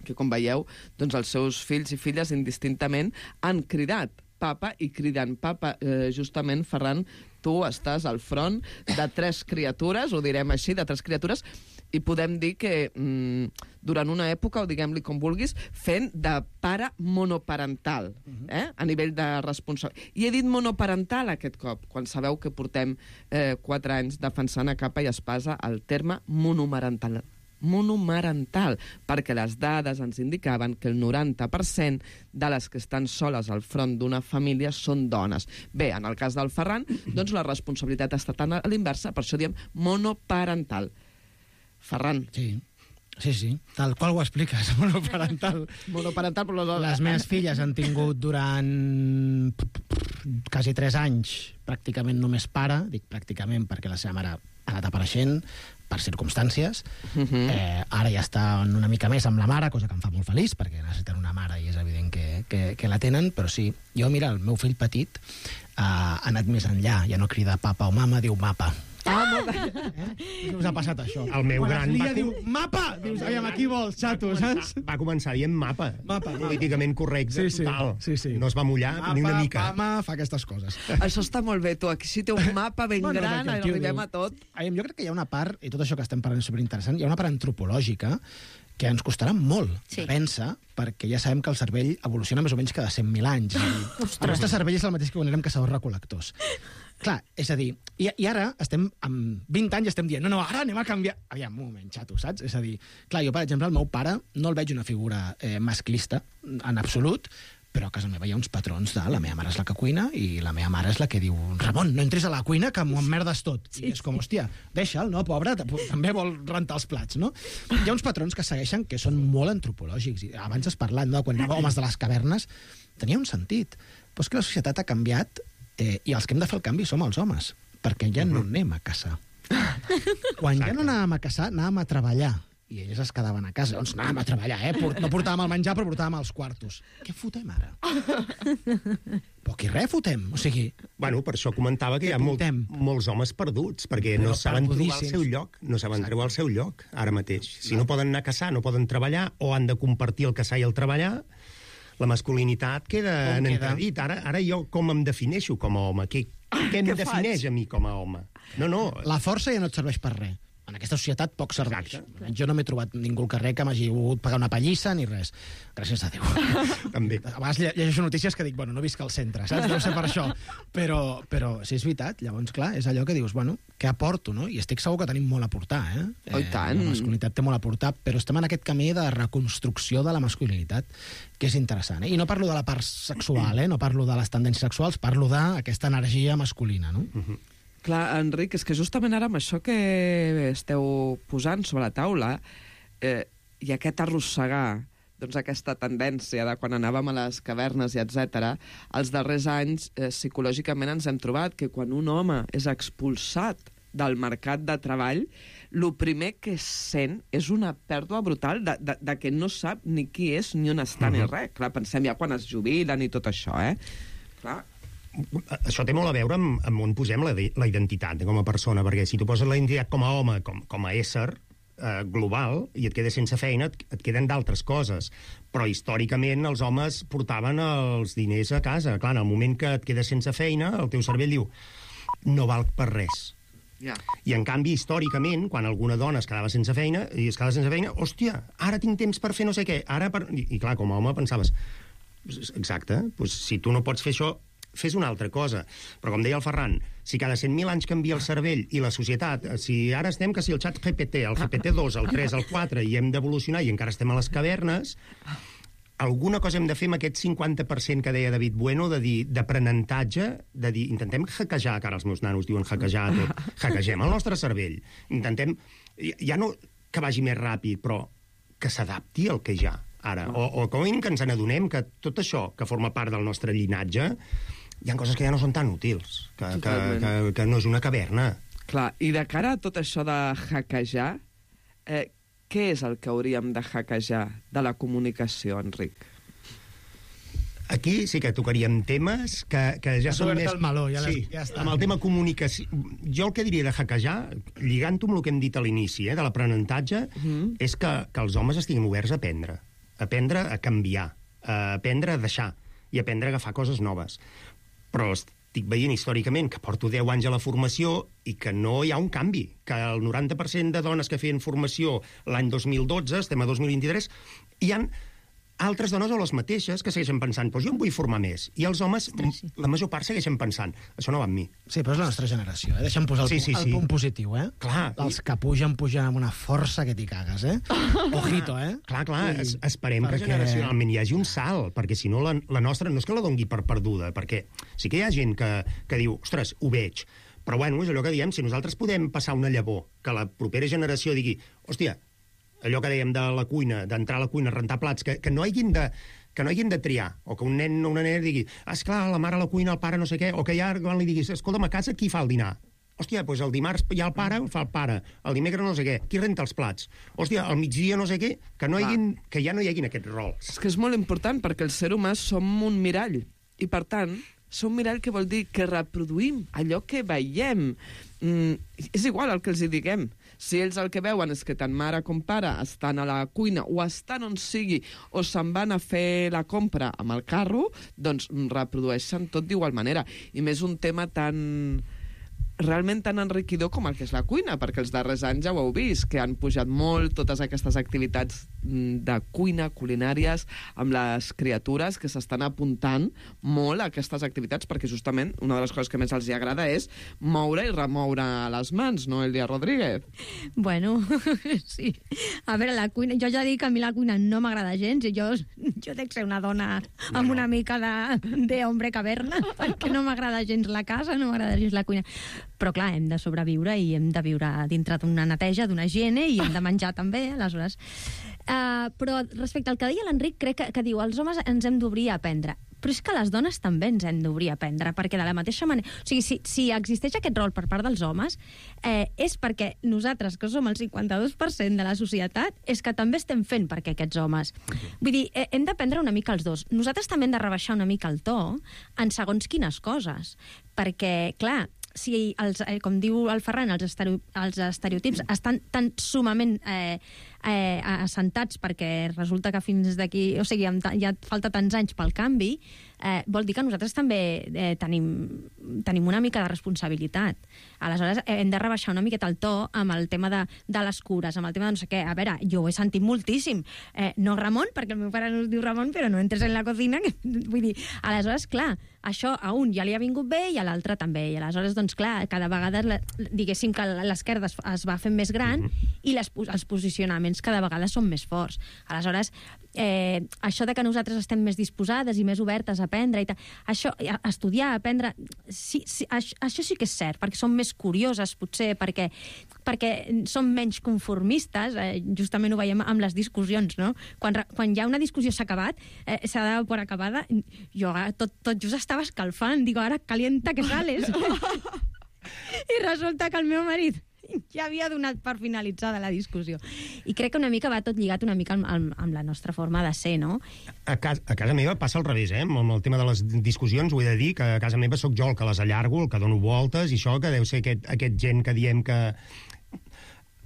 que, com veieu, doncs els seus fills i filles indistintament han cridat papa i criden papa. Eh, justament, Ferran, tu estàs al front de tres criatures, ho direm així, de tres criatures, i podem dir que mm, durant una època, o diguem-li com vulguis, fent de pare monoparental, eh? A nivell de responsabilitat. I he dit monoparental aquest cop, quan sabeu que portem eh, quatre anys defensant a capa i espasa el terme monomarental. monomarental, perquè les dades ens indicaven que el noranta per cent de les que estan soles al front d'una família són dones. Bé, en el cas del Ferran, doncs la responsabilitat està tan a l'inversa, per això diem monoparental. Ferran. Sí, sí, sí, tal qual ho expliques, monoparental. Monoparental, però... Les meves filles han tingut durant quasi tres anys pràcticament només pare, dic pràcticament perquè la seva mare ha anat apareixent per circumstàncies. Uh-huh. eh, ara ja està una mica més amb la mare, cosa que em fa molt feliç, perquè necessiten una mare i és evident que, que, que la tenen, però sí, jo, mira, el meu fill petit uh, ha anat més enllà, ja no crida papa o mama, diu mapa. Ah, molt bé. Eh? Us ha passat això. El meu Quan gran es lia, va... diu mapa! Dius, aviam, aquí vols, xato, saps? Va començar dient mapa. Mapa, mapa. Políticament correcte, Sí, sí, total. sí, sí. No es va mullar Mapa, ni una mica. Mama, fa aquestes coses. Això està molt bé, tu. Aquí sí té un mapa ben Bueno, gran, perquè el tio arribem diu- a tot. Aviam, jo crec que hi ha una part, i tot això que estem parlant és superinteressant, hi ha una part antropològica que ens costarà molt Sí. de vèncer, perquè ja sabem que el cervell evoluciona més o menys cada cent mil anys. I el nostre cervell és el mateix que quan érem caçadors-recol·lectors. Clar, és a dir, i, i ara estem amb vint anys i estem dient, no, no, ara anem a canviar. Aviam, un moment, xato, saps? És a dir, clar, jo, per exemple, el meu pare no el veig una figura eh, masclista en absolut, però a casa meva hi ha uns patrons de la meva mare és la que cuina i la meva mare és la que diu Ramon, no entris a la cuina que m'ho emmerdes tot. Sí, I és com, hòstia, deixa'l, no, pobre, també vol rentar els plats, no? Hi ha uns patrons que segueixen que són molt antropològics. I abans has parlat, no?, quan anava homes de les cavernes, tenia un sentit. Però és que la societat ha canviat eh, i els que hem de fer el canvi som els homes, perquè ja no anem a caçar. Quan ja no anàvem a caçar, anàvem a treballar. I elles es quedaven a casa. Doncs anàvem a treballar, eh? No portàvem el menjar, però portàvem els quartos. Què fotem ara? Poc i res fotem. O sigui... Bueno, per això comentava que hi ha molt, Apuntem. molts homes perduts, perquè Però no saben trobar el perdudíssims. seu lloc, no saben trobar el seu lloc, ara mateix. Si no poden anar a caçar, no poden treballar, o han de compartir el caçar i el treballar, la masculinitat queda Com en queda? entredit. Ara, ara jo com em defineixo com a home? Què, què em què defineix faig? a mi com a home? No, no, La força ja no et serveix per res. En aquesta societat poc serveix. Exacte. Jo no m'he trobat ningú al carrer que m'hagi volgut pagar una pallissa ni res. Gràcies a Déu. també. A vegades lle- llegeixo notícies que dic, bueno, no visc al centre, saps? Deu ser per això. Però, però sí, és veritat. Llavors, clar, és allò que dius, bueno, què aporto, no? I estic segur que tenim molt a aportar, eh? Oh, i tant. La masculinitat té molt a aportar, però estem en aquest camí de reconstrucció de la masculinitat, que és interessant, eh? I no parlo de la part sexual, eh? No parlo de les tendències sexuals, parlo d'aquesta energia masculina, no? Mhm. Clar, Enric, és que justament ara amb això que esteu posant sobre la taula eh, i aquest arrossegar doncs aquesta tendència de quan anàvem a les cavernes i etcètera, els darrers anys eh, psicològicament ens hem trobat que quan un home és expulsat del mercat de treball, el primer que sent és una pèrdua brutal de, de, de que no sap ni qui és ni on està ni res. Clar, pensem ja quan es jubilen i tot això, eh? Clar, Això té molt a veure amb, amb on posem la, la identitat com a persona, perquè si tu poses la identitat com a home, com, com a ésser eh, global, i et quedes sense feina, et, et queden d'altres coses. Però històricament els homes portaven els diners a casa. Clar, en el moment que et quedes sense feina, el teu cervell diu no val per res. Yeah. I, en canvi, històricament, quan alguna dona es quedava sense feina, i es quedava sense feina, hòstia, ara tinc temps per fer no sé què, ara per... I, i clar, com a home pensaves, exacte, doncs, si tu no pots fer això, fes una altra cosa. Però, com deia el Ferran, si cada cent mil anys canvia el cervell i la societat, si ara estem que si el xat G P T, el G P T dos, el tres, el quatre, i hem d'evolucionar i encara estem a les cavernes, alguna cosa hem de fer amb aquest cinquanta per cent que deia David Bueno, de dir d'aprenentatge, de dir, intentem hackejar, que ara els meus nanos diuen hackejar tot, hackegem el nostre cervell, intentem, ja no que vagi més ràpid, però que s'adapti al que hi ha ara, o, o com a mínim que ens n'adonem que tot això que forma part del nostre llinatge hi ha coses que ja no són tan útils, que, que, que, que no és una caverna. Clar, i de cara a tot això de hackejar, eh, què és el que hauríem de hackejar de la comunicació, Enric? Aquí sí que tocaríem temes que, que ja són més... el meló, ja, sí, ja està. Amb el tema comunicació... Jo el que diria de hackejar, lligant-ho amb el que hem dit a l'inici, eh, de l'aprenentatge, mm. és que, que els homes estiguin oberts a aprendre, a aprendre a canviar, a aprendre a deixar i a aprendre a agafar coses noves. Però estic veient històricament que porto deu anys a la formació i que no hi ha un canvi, que el noranta per cent de dones que feien formació l'any dos mil dotze, estem a dos mil vint-i-tres, hi han altres dones o les mateixes que segueixen pensant, doncs jo em vull formar més. I els homes, Ostres, sí. la major part, segueixen pensant, això no va amb mi. Sí, però és la nostra generació, eh? Deixa'm posar el, sí, sí, el sí. punt positiu, eh? Clar. Els que pugen, pugen amb una força que t'hi cagues, eh? Ojito, eh? Clar, clar, es, esperem que generacionalment hi hagi un salt, perquè si no la, la nostra no és que la dongui per perduda, perquè sí que hi ha gent que, que diu, ostres, ho veig, però bueno, és allò que diem, si nosaltres podem passar una llavor, que la propera generació digui, hòstia, allò que dèiem de la cuina, d'entrar a la cuina, rentar plats, que, que no hagin de que no hagin de triar, o que un nen o una nena digui, esclar, la mare a la cuina, el pare no sé què, o que ja quan li diguis, escolta'm, a casa qui fa el dinar? Hòstia, doncs el dimarts hi ha el pare, fa el pare, el dimecres no sé què, qui renta els plats? Hòstia, al migdia no sé què, que, no hagin, que ja no hi hagin aquests rols. És que és molt important, perquè el ser humà som un mirall, i per tant, som un mirall que vol dir que reproduïm allò que veiem. Mm, és igual el que els hi diguem. Si ells el que veuen és que tant mare com pare estan a la cuina o estan on sigui o se'n van a fer la compra amb el carro, doncs reprodueixen tot d'igual manera. I més un tema tan... realment tan enriquidor com el que és la cuina, perquè els darrers anys ja ho heu vist, que han pujat molt totes aquestes activitats de cuina, culinàries, amb les criatures que s'estan apuntant molt a aquestes activitats, perquè justament una de les coses que més els hi agrada és moure i remoure les mans, no, Elia Rodríguez? Bueno, sí. A veure, la cuina... Jo ja dic que a mi la cuina no m'agrada gens, i jo, jo dec ser una dona amb no, una no. mica d'hombre caverna, perquè no m'agrada gens la casa, no m'agrada gens la cuina. Però clar, hem de sobreviure i hem de viure dintre d'una neteja, d'una higiene, i hem de menjar també, aleshores. Uh, però respecte al que deia l'Enric, crec que, que diu, els homes ens hem d'obrir a aprendre. Però és que les dones també ens hem d'obrir a aprendre, perquè de la mateixa manera... O sigui, si, si existeix aquest rol per part dels homes, eh, és perquè nosaltres, que som el cinquanta-dos per cent de la societat, és que també estem fent perquè aquests homes. Vull dir, eh, hem d'aprendre una mica els dos. Nosaltres també hem de rebaixar una mica el to en segons quines coses, perquè, clar, si, els, eh, com diu el Ferran, els, estereo, els estereotips estan tan sumament eh, eh, assentats perquè resulta que fins d'aquí... O sigui, ja falta tants anys pel canvi, eh, vol dir que nosaltres també eh, tenim, tenim una mica de responsabilitat. Aleshores, eh, hem de rebaixar una miqueta el to amb el tema de, de les cures, amb el tema de no sé què. A veure, jo ho he sentit moltíssim. Eh, no Ramon, perquè el meu pare no es diu Ramon, però no entres en la cocina. Que, vull dir, aleshores, clar, això a un ja li ha vingut bé i a l'altre també. I aleshores, doncs clar, cada vegada, diguéssim que l'esquerda es, es va fent més gran mm-hmm. i les, els posicionaments cada vegada són més forts. Aleshores, eh, això de que nosaltres estem més disposades i més obertes a aprendre i tal, això, a estudiar, a aprendre, sí, sí, això, això sí que és cert, perquè som més curioses, potser, perquè, perquè som menys conformistes, eh, justament ho veiem amb les discussions, no? Quan, quan ja una discussió s'ha acabat, eh, s'ha de por acabada, jo tot, tot just estava escalfant, digo, ara calienta que sales. I resulta que el meu marit ja havia donat per finalitzada la discussió. I crec que una mica va tot lligat una mica amb, amb la nostra forma de ser, no? A casa, a casa meva passa al revés, eh? Amb el tema de les discussions, ho he de dir, que a casa meva sóc jo el que les allargo, el que dono voltes, i això que deu ser aquest, aquest gent que diem que...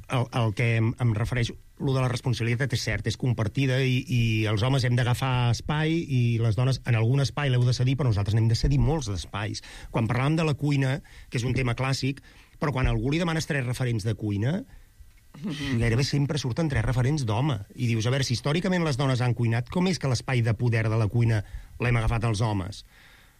El, el que em, em refereixo, lo de la responsabilitat és cert, és compartida i, i els homes hem d'agafar espai i les dones en algun espai l'heu de cedir, però nosaltres n'hem de cedir molts d'espais. Quan parlàvem de la cuina, que és un tema clàssic, Però quan a algú li demanes tres referents de cuina, gairebé sempre surten tres referents d'home. I dius, a veure, si històricament les dones han cuinat, com és que l'espai de poder de la cuina l'hem agafat els homes?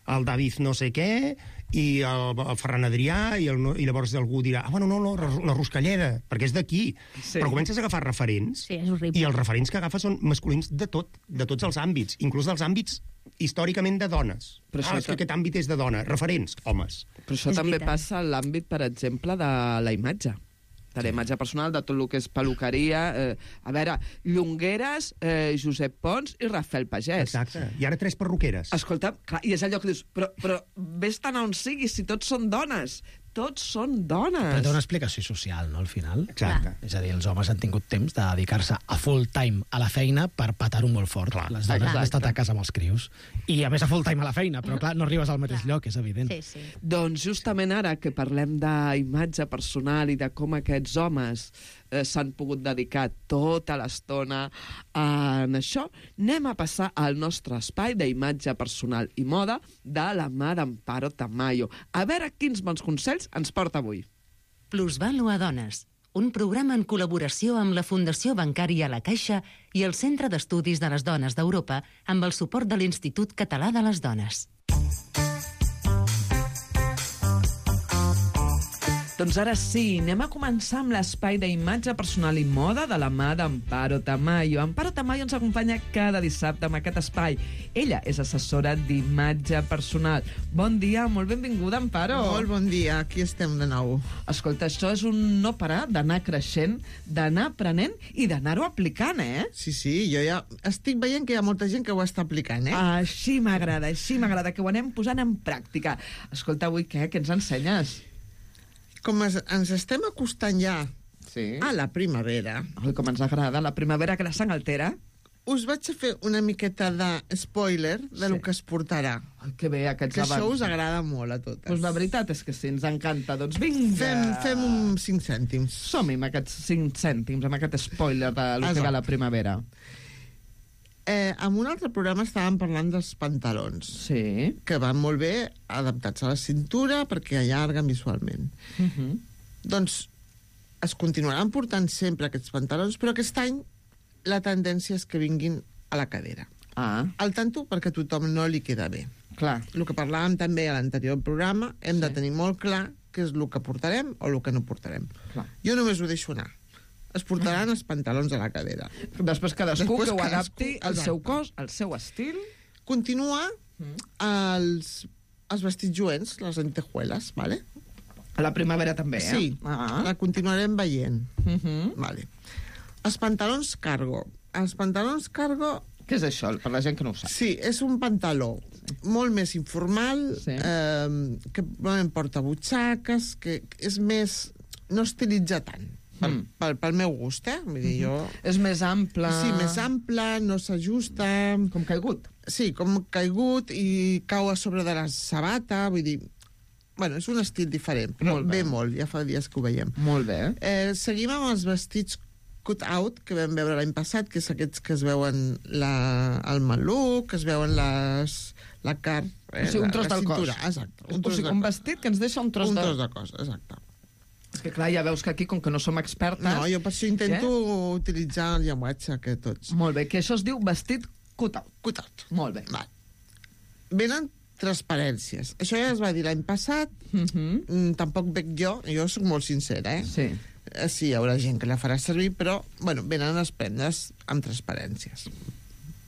El David no sé què, i el, el Ferran Adrià, i, el, i llavors algú dirà, ah, bueno, no, no, la Ruscalleda, perquè és d'aquí. Sí. Però comences a agafar referents, sí, és horrible. I els referents que agafes són masculins de tot, de tots els àmbits, inclús dels àmbits històricament de dones. Però ah, és que aquest àmbit és de dona. Referents, homes. Però això és també veritat. Passa a l'àmbit, per exemple, de la imatge. De la imatge personal, de tot el que és peluqueria. Eh, a veure, Llongueres, eh, Josep Pons i Rafael Pagès. Exacte. I ara tres perruqueres. Escolta, clar, i és allò que dius, però, però vés-te'n a on siguis, si tots són dones. Tots són dones. Però té una explicació social, no, al final? Exacte. És a dir, els homes han tingut temps de dedicar-se a full time a la feina per patar-ho molt fort. Clar, les dones han estat a casa amb els crios. I a més a full time a la feina, però clar, no arribes al mateix clar. lloc, és evident. Sí, sí. Doncs justament ara que parlem d'imatge personal i de com aquests homes eh, s'han pogut dedicar tota l'estona en això, anem a passar al nostre espai d'imatge personal i moda de la mà d'Amparo Tamayo. A veure quins bons consells ens porta avui. Plusvàlua Dones, un programa en col·laboració amb la Fundació Bancària La Caixa i el Centre d'Estudis de les Dones d'Europa amb el suport de l'Institut Català de les Dones. Doncs ara sí, anem a començar amb l'espai d'imatge personal i moda de la mà d'Amparo Tamayo. Amparo Tamayo ens acompanya cada dissabte amb aquest espai. Ella és assessora d'imatge personal. Bon dia, molt benvinguda, Amparo. Molt bon dia, aquí estem de nou. Escolta, això és un no parar d'anar creixent, d'anar aprenent i d'anar-ho aplicant, eh? Sí, sí, jo ja estic veient que hi ha molta gent que ho està aplicant, eh? Així m'agrada, així m'agrada, que ho anem posant en pràctica. Escolta, avui què? Què ens ensenyes? Com es, ens estem acostant ja sí. a la primavera... Ai, com ens agrada, la primavera que la sang altera. Us vaig a fer una miqueta de spoiler de sí. lo que es portarà. Ai, que bé, aquests que abans. això us agrada molt a totes. Doncs la veritat és que sí, ens encanta. Doncs vinga! Fem, fem un cinc cèntims. Som-hi amb aquests cinc cèntims, amb aquest spoiler de lo que va la primavera. Eh, en un altre programa estàvem parlant dels pantalons, sí. que van molt bé adaptats a la cintura perquè allarguen visualment. Uh -huh. Doncs es continuaran portant sempre aquests pantalons, però aquest any la tendència és que vinguin a la cadera. Ah. Al tanto, perquè a tothom no li queda bé. Clar. El que parlàvem també a l'anterior programa, hem sí. de tenir molt clar què és el que portarem o el que no portarem. Clar. Jo només ho deixo anar. Es portaran els pantalons a la cadera. Després cadascú Després que ho cadascú, adapti al seu cos, al seu estil. Continua mm. els, els vestits joents, les lentejueles, ¿vale? A la primavera també, eh? Sí, ah. la continuarem veient. Uh -huh. Vale. Els pantalons cargo. Els pantalons cargo... Què és això, per la gent que no ho sap? Sí, és un pantaló sí. molt més informal, sí. eh, que normalment porta butxaques, que és més... no estilitza tant. Pel, mm. pel, pel meu gust, eh? Vull dir, jo... És més ample... Sí, més ample, no s'ajusta... Com caigut. Sí, com caigut i cau a sobre de la sabata, vull dir... Bueno, és un estil diferent, però molt bé. Bé molt, ja fa dies que ho veiem. Molt bé. Eh, seguim amb els vestits cut-out, que vam veure l'any passat, que és aquests que es veuen la, el maluc, que es veuen les, la carn... Eh, o sigui, un tros la, la del cintura. cos. Exacte. Un, o sigui, un vestit que ens deixa un tros, un de... tros de cos, exacte. És que clar, ja veus que aquí, com que no som expertes... No, jo per això intento eh? utilitzar el llenguatge que tots. Molt bé, que això es diu vestit cut-out. Cut-out. Molt bé. Val. Venen transparències. Això ja es va dir l'any passat, uh -huh. mm, tampoc veig jo, jo sóc molt sincera, eh? Sí. Eh, sí, hi haurà gent que la farà servir, però, bueno, venen les prendes amb transparències.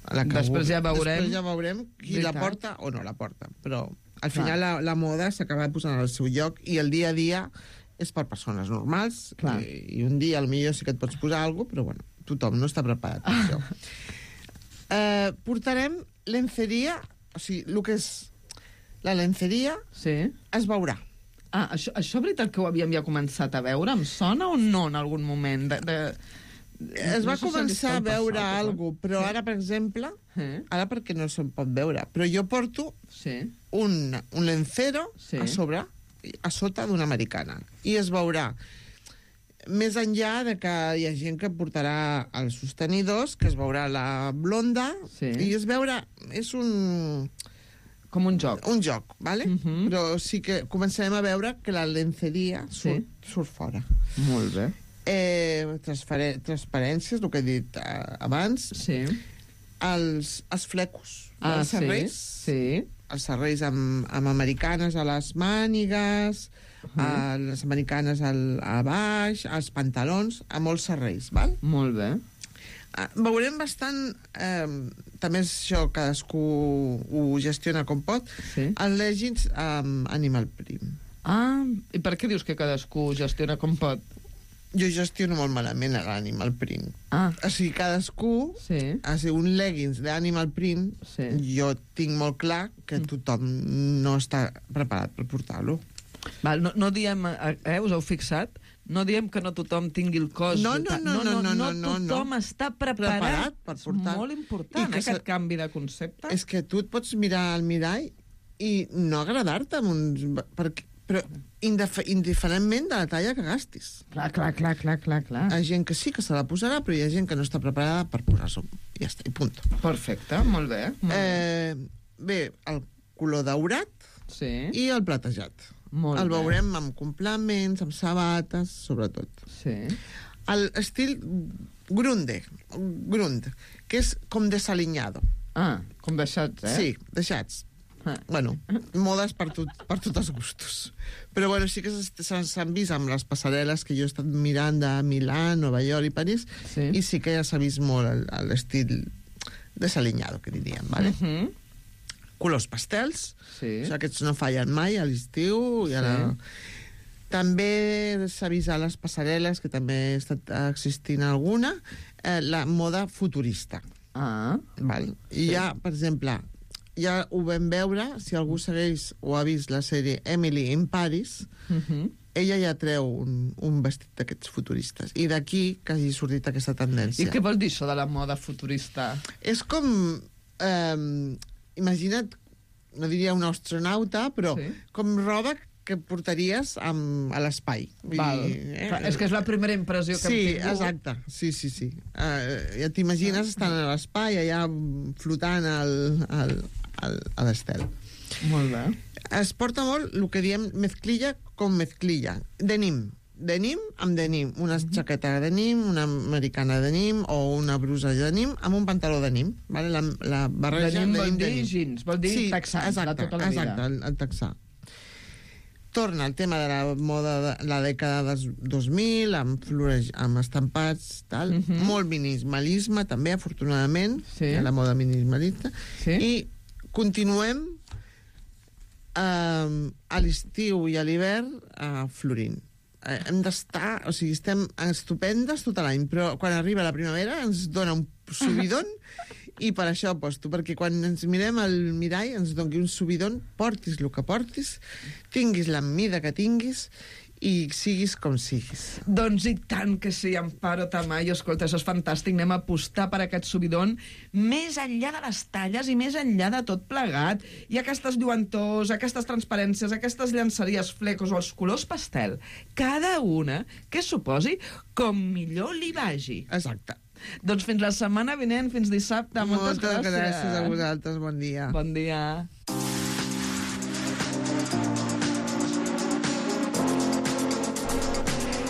La que Després ja veurem... Després ja veurem qui veritat. La porta o no la porta, però al final la, la moda s'acaba posant al seu lloc i el dia a dia és per persones normals i, i un dia potser sí que et pots posar alguna cosa, però bueno, tothom no està preparat per això. Eh, portarem lenceria, o sigui, el que és la lenceria sí. es veurà. Ah, això, això és veritat que ho havíem ja començat a veure? Em sona o no en algun moment? De, de... Es va no començar a veure alguna cosa, però sí. ara, per exemple, eh? ara perquè no se'n pot veure, però jo porto sí. un, un lencero sí. a sobre, a sota d'una americana, i es veurà més enllà de que hi ha gent que portarà els sostenidors, que es veurà la blonda, sí. i es veurà, és un... Com un joc. Un joc, vale? Uh -huh. Però sí que comencem a veure que la lenceria surt, sí. surt fora. Molt bé. Eh, transparències, el que he dit eh, abans. Sí. Els, els flecos. Ah, els serrells. Sí, sí. Els serrells amb, amb americanes a les mànigues, uh -huh. a les americanes al, a baix, als pantalons, a molts serrells, val? Molt bé. Uh, veurem bastant... Eh, també és això, cadascú ho gestiona com pot. Sí. Els leggings amb Animal Print. Ah, i per què dius que cadascú gestiona com pot? Jo gestiono molt malament l'Animal Print. Ah. O sigui, cadascú... Sí. O sigui, un leggings d'Animal Print, sí. jo tinc molt clar que tothom no està preparat per portar-lo. Val, no, no diem... Eh, us heu fixat? No diem que no tothom tingui el cos... No, no, no, no, no, no, no, no tothom no. està preparat, preparat per portar. És molt important, eh, aquest se... canvi de concepte. És que tu et pots mirar al mirall i no agradar-te amb uns... Perquè, però indif indiferentment de la talla que gastis. Clar, clar, clar, clar, clar, clar. Hi ha gent que sí que se la posarà, però hi ha gent que no està preparada per posar-s'ho. I ja està, i punt. Perfecte, molt bé. Molt eh, bé, el color daurat sí. i el platejat. Molt el bé. veurem amb complements, amb sabates, sobretot. Sí. L'estil grunde, grund, que és com desalinyado. Ah, com deixats, eh? Sí, deixats. Ah. Bueno, modes per, tot, per tots els gustos. Però bueno, sí que s'han vist amb les passarel·les que jo he estat mirant de Milà, Nova York i París, sí. I sí que ja s'ha vist molt l'estil desalinyado, que diríem, ¿vale? Uh -huh. Colors pastels, sí. O sigui, aquests no fallen mai a l'estiu. Sí. La... També s'ha vist a les passarel·les, que també ha estat existint alguna, eh, la moda futurista. Ah. Val? I sí. Ja, per exemple, ja ho vam veure, si algú segueix o ha vist la sèrie Emily in Paris, uh -huh. ella ja treu un, un vestit d'aquests futuristes. I d'aquí que hagi sortit aquesta tendència. I què vol dir això de la moda futurista? És com... Eh, imagina't, no diria un astronauta, però sí. Com roba que portaries amb, a l'espai. Eh? És que és la primera impressió que sí, hem tingut. Sí, exacte. Sí, sí, sí. Uh, ja t'imagines estant a l'espai, allà flotant al, al, al, a l'estel. Molt bé. Es porta molt el que diem mezclilla com mezclilla. Denim. Denim amb denim. Una uh-huh. jaqueta de denim, una americana de denim o una brusa de denim amb un pantaló de denim. Vale? La, la barreja denim, denim vol dir denim. jeans, vol dir sí, texà, exacte, de tota la vida. Exacte, el, el texà. Torna el tema de la moda de la dècada dels dos mil, amb flores, amb estampats, tal. Uh-huh. Molt minimalisme, també, afortunadament, sí. La moda minimalista. Sí. I continuem eh, a l'estiu i a l'hivern eh, florint. Eh, hem d'estar, o sigui, estem estupendes tot l'any, però quan arriba la primavera ens dona un subidon i per això aposto, perquè quan ens mirem al mirall ens doni un subidon, portis el que portis, tinguis la mida que tinguis i siguis com siguis. Doncs i tant que sí, Amparo Tamayo. Escolta, això és fantàstic. Anem a apostar per aquest subidon més enllà de les talles i més enllà de tot plegat. I aquestes lluentors, aquestes transparències, aquestes llançeries, flecos o els colors pastel, cada una que suposi com millor li vagi. Exacte. Doncs fins la setmana vinent, fins dissabte. Moltes, Moltes gràcies. gràcies a vosaltres. Bon dia. Bon dia.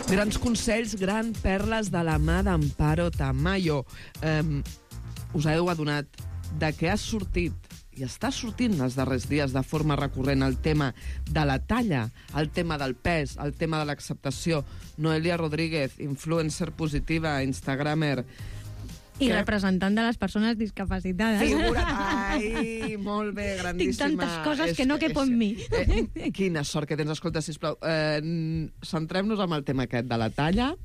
Grans consells, grans perles de la mà d'Amparo Tamayo. Um, us heu adonat de què ha sortit i està sortint els darrers dies de forma recurrent el tema de la talla, el tema del pes, el tema de l'acceptació. Noelia Rodríguez, influencer positiva, instagramer, i representant de les persones discapacitades. Figura't! Ai, molt bé, grandíssima. Tinc tantes coses és, que no quepo en mi. Eh, quina sort que tens. Escolta, sisplau, eh, centrem-nos en el tema aquest de la talla.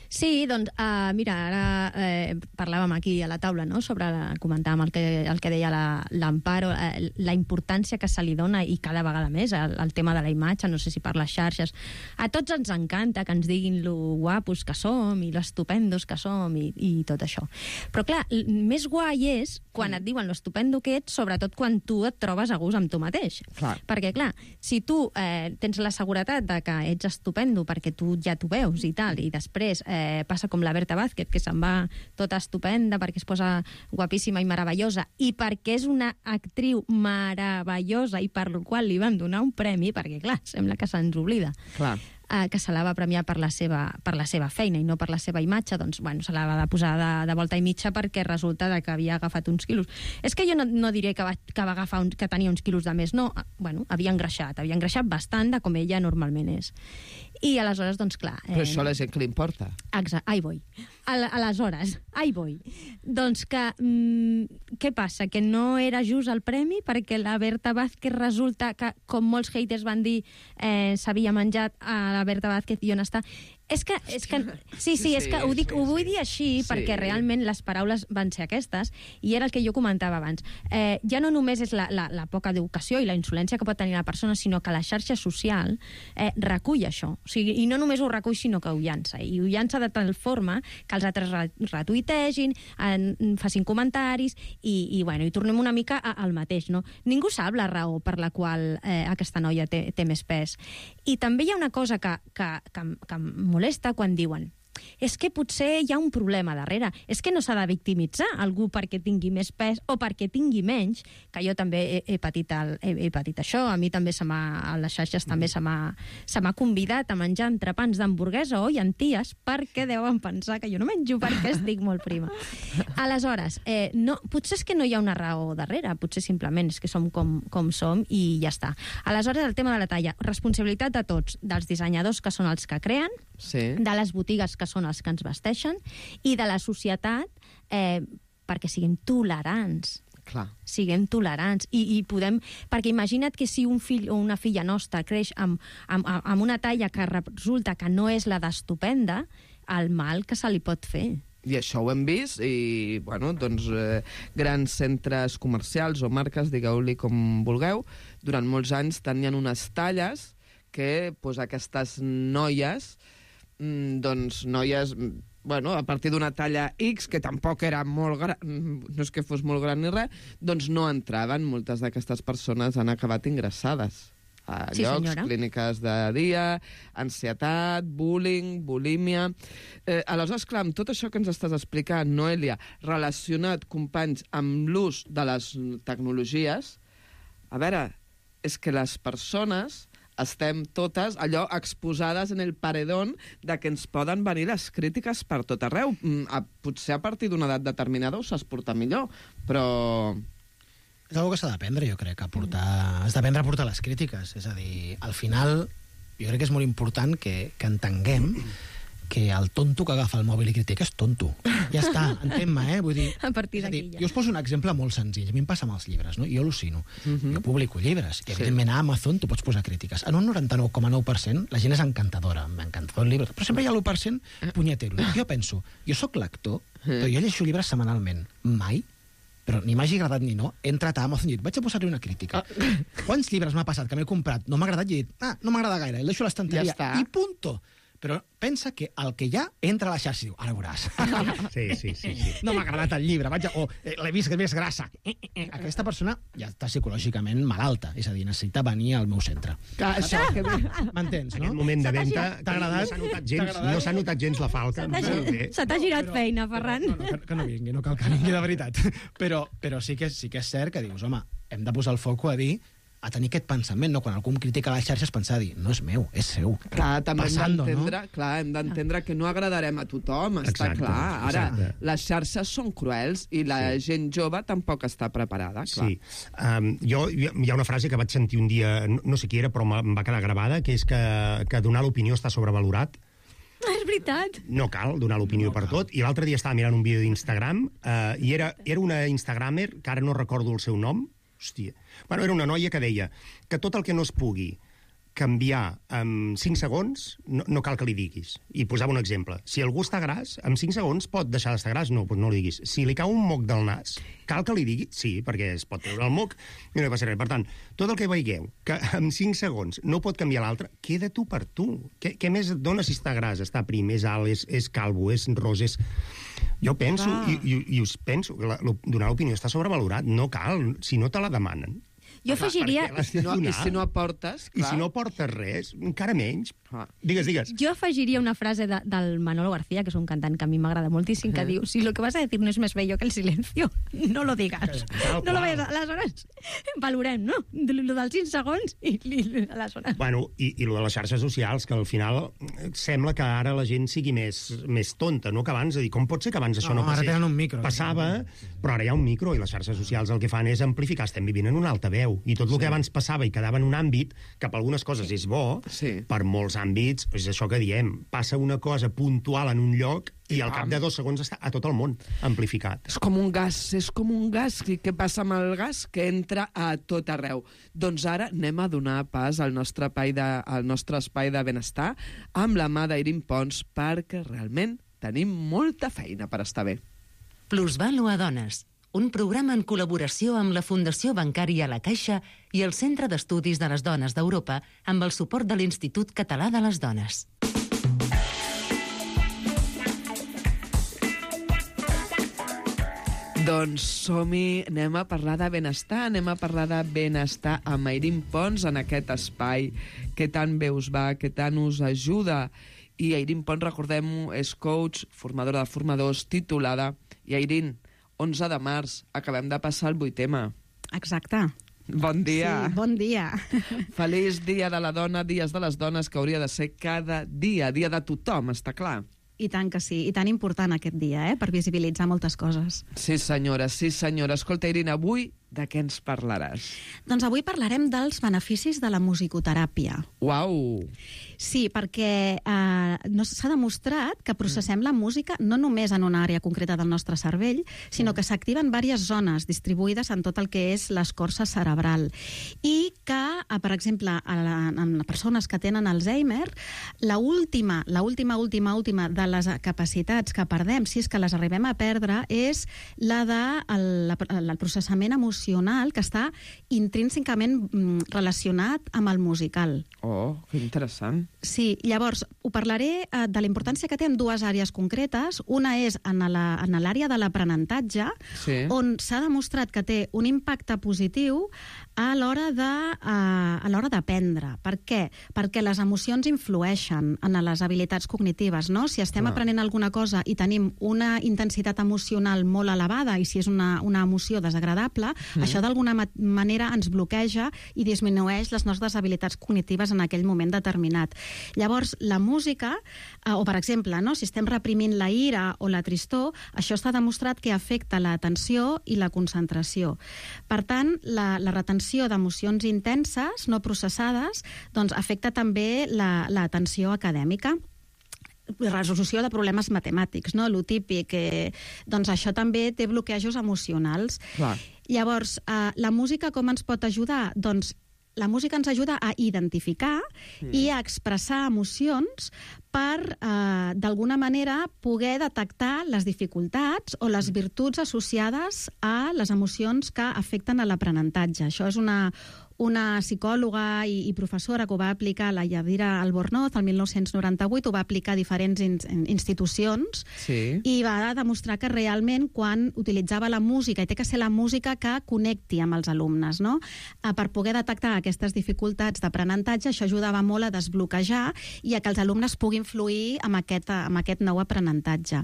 Sí, doncs, uh, mira, ara eh, parlàvem aquí a la taula, no?, sobre, la, comentàvem el que, el que deia l'Amparo, la, eh, la importància que se li dona, i cada vegada més, el, el tema de la imatge, no sé si per les xarxes. A tots ens encanta que ens diguin lo guapos que som i lo estupendos que som i, i tot això. Però, clar, més guai és quan et diuen lo estupendo que ets, sobretot quan tu et trobes a gust amb tu mateix. Clar. Perquè, clar, si tu eh, tens la seguretat de que ets estupendo perquè tu ja t'ho veus i tal, i després eh, eh, passa com la Berta Vázquez, que se'n va tota estupenda perquè es posa guapíssima i meravellosa, i perquè és una actriu meravellosa i per la qual li van donar un premi, perquè, clar, sembla que se'ns oblida. Clar. Eh, que se la va premiar per la, seva, per la seva feina i no per la seva imatge, doncs, bueno, se la va de posar de, de volta i mitja perquè resulta que havia agafat uns quilos. És que jo no, no diré que va, que va agafar un, que tenia uns quilos de més, no. Bueno, havia engreixat, havia engreixat bastant de com ella normalment és. I aleshores, doncs, clar... Eh... Però això a la gent que li importa. Exacte, ai, voi. Al, aleshores, ai, voi. Doncs que, mm, què passa? Que no era just el premi perquè la Berta Vázquez resulta que, com molts haters van dir, eh, s'havia menjat a la Berta Vázquez i on està... És que, és que, sí, sí, és que ho, dic, ho vull dir així sí. perquè realment les paraules van ser aquestes i era el que jo comentava abans. Eh, ja no només és la, la, la poca educació i la insolència que pot tenir la persona, sinó que la xarxa social eh, recull això. O sigui, i no només ho recull, sinó que ho llança. I ho llança de tal forma que els altres retuitegin, en, facin comentaris i, i, bueno, i tornem una mica al mateix. No? Ningú sap la raó per la qual eh, aquesta noia té, té més pes. I també hi ha una cosa que, que, que, que molesta quan diuen és que potser hi ha un problema darrere, és que no s'ha de victimitzar algú perquè tingui més pes o perquè tingui menys, que jo també he, he, patit, el, he, he patit això, a mi també se m'ha, a les xarxes també se m'ha, se m'ha convidat a menjar entrepans d'hamburguesa o llenties perquè deuen pensar que jo no menjo perquè estic molt prima. Aleshores, eh, no, potser és que no hi ha una raó darrere, potser simplement és que som com, com som i ja està. Aleshores, el tema de la talla, responsabilitat de tots, dels dissenyadors que són els que creen, sí. de les botigues que són els que ens vesteixen i de la societat eh, perquè siguem tolerants. Clar. Siguem tolerants i, i podem... Perquè imagina't que si un fill o una filla nostra creix amb, amb, amb una talla que resulta que no és la d'estupenda, el mal que se li pot fer. I això ho hem vist i, bueno, doncs, eh, grans centres comercials o marques, digueu-li com vulgueu, durant molts anys tenien unes talles que pues, aquestes noies doncs noies, bueno, a partir d'una talla X, que tampoc era molt gran, no és que fos molt gran ni res, doncs no entraven. Moltes d'aquestes persones han acabat ingressades a sí, llocs, senyora. Clíniques de dia, ansietat, bullying, bulímia... Eh, aleshores, clar, amb tot això que ens estàs explicant, Noelia, relacionat, companys, amb l'ús de les tecnologies, a veure, és que les persones... estem totes allò exposades en el paredón de que ens poden venir les crítiques per tot arreu. A, potser a partir d'una edat determinada ho saps portar millor, però... És una cosa que s'ha d'aprendre, jo crec, a portar... Has d'aprendre a portar les crítiques. És a dir, al final, jo crec que és molt important que, que entenguem que el tonto que agafa el mòbil i critica és tonto. Ja està, entén-me, eh? Vull dir... A partir d'aquí ja. Jo us poso un exemple molt senzill. A mi em passa amb els llibres, no? Jo al·lucino. Uh-huh. Jo publico llibres. I, evidentment, a Amazon tu pots posar crítiques. En un noranta-nou coma nou per cent la gent és encantadora. M'encantador el llibre. Però sempre hi ha l'u per cent punyetero. Jo penso, jo sóc lector, però jo llegeixo llibres setmanalment. Mai però ni m'hagi agradat ni no, he entrat a Amazon i dit, vaig a posar-li una crítica. Ah. Quants llibres m'ha passat que m'he comprat, no m'ha agradat i he dit, ah, no m'agrada gaire, el deixo a l'estanteria ja i punto. Però pensa que el que hi ha entra a la xarxa i diu, ara veuràs. Sí, sí, sí, sí. No m'ha agradat el llibre, vaig a... o eh, l'he vist que més grassa. Eh, eh, eh. Aquesta persona ja està psicològicament malalta, és a dir, necessita venir al meu centre. Que, això, que... M'entens, no? Aquest moment de venda t'ha agradat? No s'ha notat gens, no s'ha notat gens la falca. Se t'ha girat però, feina, Ferran. No, no, que, que no vingui, no cal que vingui de veritat. Però, però sí, que, sí que és cert que dius, home, hem de posar el foco a dir a tenir aquest pensament, no? Quan algú em critica a les xarxes, pensar a dir, no és meu, és seu. Clar, també Passando, hem d'entendre, no? clar, hem d'entendre que no agradarem a tothom, està Exacte, clar. Ara, exacte. les xarxes són cruels i la Sí. gent jove tampoc està preparada, clar. Sí. Um, jo, hi ha una frase que vaig sentir un dia, no, no sé qui era, però em va quedar gravada, que és que, que donar l'opinió està sobrevalorat. És veritat. No cal donar l'opinió no per cal. tot. I l'altre dia estava mirant un vídeo d'Instagram uh, i era, era una instagramer, que ara no recordo el seu nom, hòstia. Bueno, era una noia que deia que tot el que no es pugui canviar en cinc segons, no, no cal que li diguis. I posava un exemple. Si algú està gras, en cinc segons pot deixar d'estar gras? No, doncs no li diguis. Si li cau un moc del nas, cal que li digui? Sí, perquè es pot treure el moc i no hi passa res. Per tant, tot el que veieu que en cinc segons no pot canviar l'altre, queda tu per tu. Què, què més et dona si està gras, està prim, és alt, és, és calvo, és ros, és... Jo penso, i, i, i us penso, que la, la, donar l'opinió està sobrevalorat. No cal, si no te la demanen. Jo afegiria... Per què l'has de No, donar? I si no aportes, I clar. si no portes res, encara menys. Clar. Digues, digues. Jo afegiria una frase de, del Manolo García, que és un cantant que a mi m'agrada moltíssim, que diu, si lo que vas a decir no es más bello que el silencio, no lo digas. No lo vayas a... Aleshores, valorem, no? Lo dels cinc segons i, i aleshores... Bueno, i, i lo de les xarxes socials, que al final sembla que ara la gent sigui més, més tonta, no? Que abans, a dir, com pot ser que abans això No, no, ara passés? tenen un micro. Passava, però ara hi ha un micro, i les xarxes socials el que fan és amplificar. Estem vivint en un altaveu, i tot el que abans passava i quedava en un àmbit, que per algunes coses és bo, Sí. per molts àmbits, és això que diem, passa una cosa puntual en un lloc i al cap de dos segons està a tot el món amplificat. És com un gas, és com un gas. I què passa amb el gas? Que entra a tot arreu. Doncs ara anem a donar pas al nostre espai de, al nostre espai de benestar amb la mà d'Irin Pons, perquè realment tenim molta feina per estar bé. Plusvàlua Dones, un programa en col·laboració amb la Fundació Bancària La Caixa i el Centre d'Estudis de les Dones d'Europa amb el suport de l'Institut Català de les Dones. Doncs som-hi, anem a parlar de benestar, anem a parlar de benestar amb Irin Pons en aquest espai que tant bé us va, que tant us ajuda. I Irin Pons, recordem-ho, és coach, formadora de formadors, titulada. I Irin, onze de març, acabem de passar el vuitema. Exacte. Bon dia. Sí, bon dia. Feliç dia de la dona, dies de les dones, que hauria de ser cada dia, dia de tothom, està clar. I tant que sí, i tan important aquest dia, eh, per visibilitzar moltes coses. Sí, senyora, sí, senyora. Escolta, Irin, avui de què ens parlaràs? Doncs avui parlarem dels beneficis de la musicoteràpia. Uau! Sí, perquè eh, no s'ha demostrat que processem la música no només en una àrea concreta del nostre cervell, sinó que s'activen diverses zones distribuïdes en tot el que és l'escorça cerebral. I que, eh, per exemple, a la, en persones que tenen Alzheimer, la última, la última, última, última de les capacitats que perdem, si és que les arribem a perdre, és la de el, el processament emocional que està intrínsecament relacionat amb el musical. Oh, que interessant. Sí, llavors, ho parlaré eh, de la importància que té en dues àrees concretes. Una és en l'àrea de l'aprenentatge, sí. on s'ha demostrat que té un impacte positiu a l'hora de, eh, a l'hora d'aprendre. Per què? Perquè les emocions influeixen en les habilitats cognitives, no? Si estem Clar. aprenent alguna cosa i tenim una intensitat emocional molt elevada, i si és una, una emoció desagradable, mm. això d'alguna ma manera ens bloqueja i disminueix les nostres habilitats cognitives en aquell moment determinat. Llavors, la música, eh, o per exemple, no, si estem reprimint la ira o la tristor, això està demostrat que afecta l'atenció i la concentració. Per tant, la, la retenció d'emocions intenses, no processades, doncs afecta també l'atenció la, acadèmica. Resolució de problemes matemàtics, no? Lo típic, eh, doncs això també té bloquejos emocionals. Clar. Llavors, eh, la música com ens pot ajudar? Doncs la música ens ajuda a identificar mm. i a expressar emocions per, eh, d'alguna manera, poder detectar les dificultats o les virtuts associades a les emocions que afecten a l'aprenentatge. Això és una, una psicòloga i, i professora que ho va aplicar, la Yadira Albornoz, el mil nou-cents noranta-vuit, ho va aplicar a diferents in, institucions sí. i va demostrar que realment quan utilitzava la música, i té que ser la música que connecti amb els alumnes, no? Eh, per poder detectar aquestes dificultats d'aprenentatge, això ajudava molt a desbloquejar i a que els alumnes puguin fluir amb aquest, amb aquest nou aprenentatge.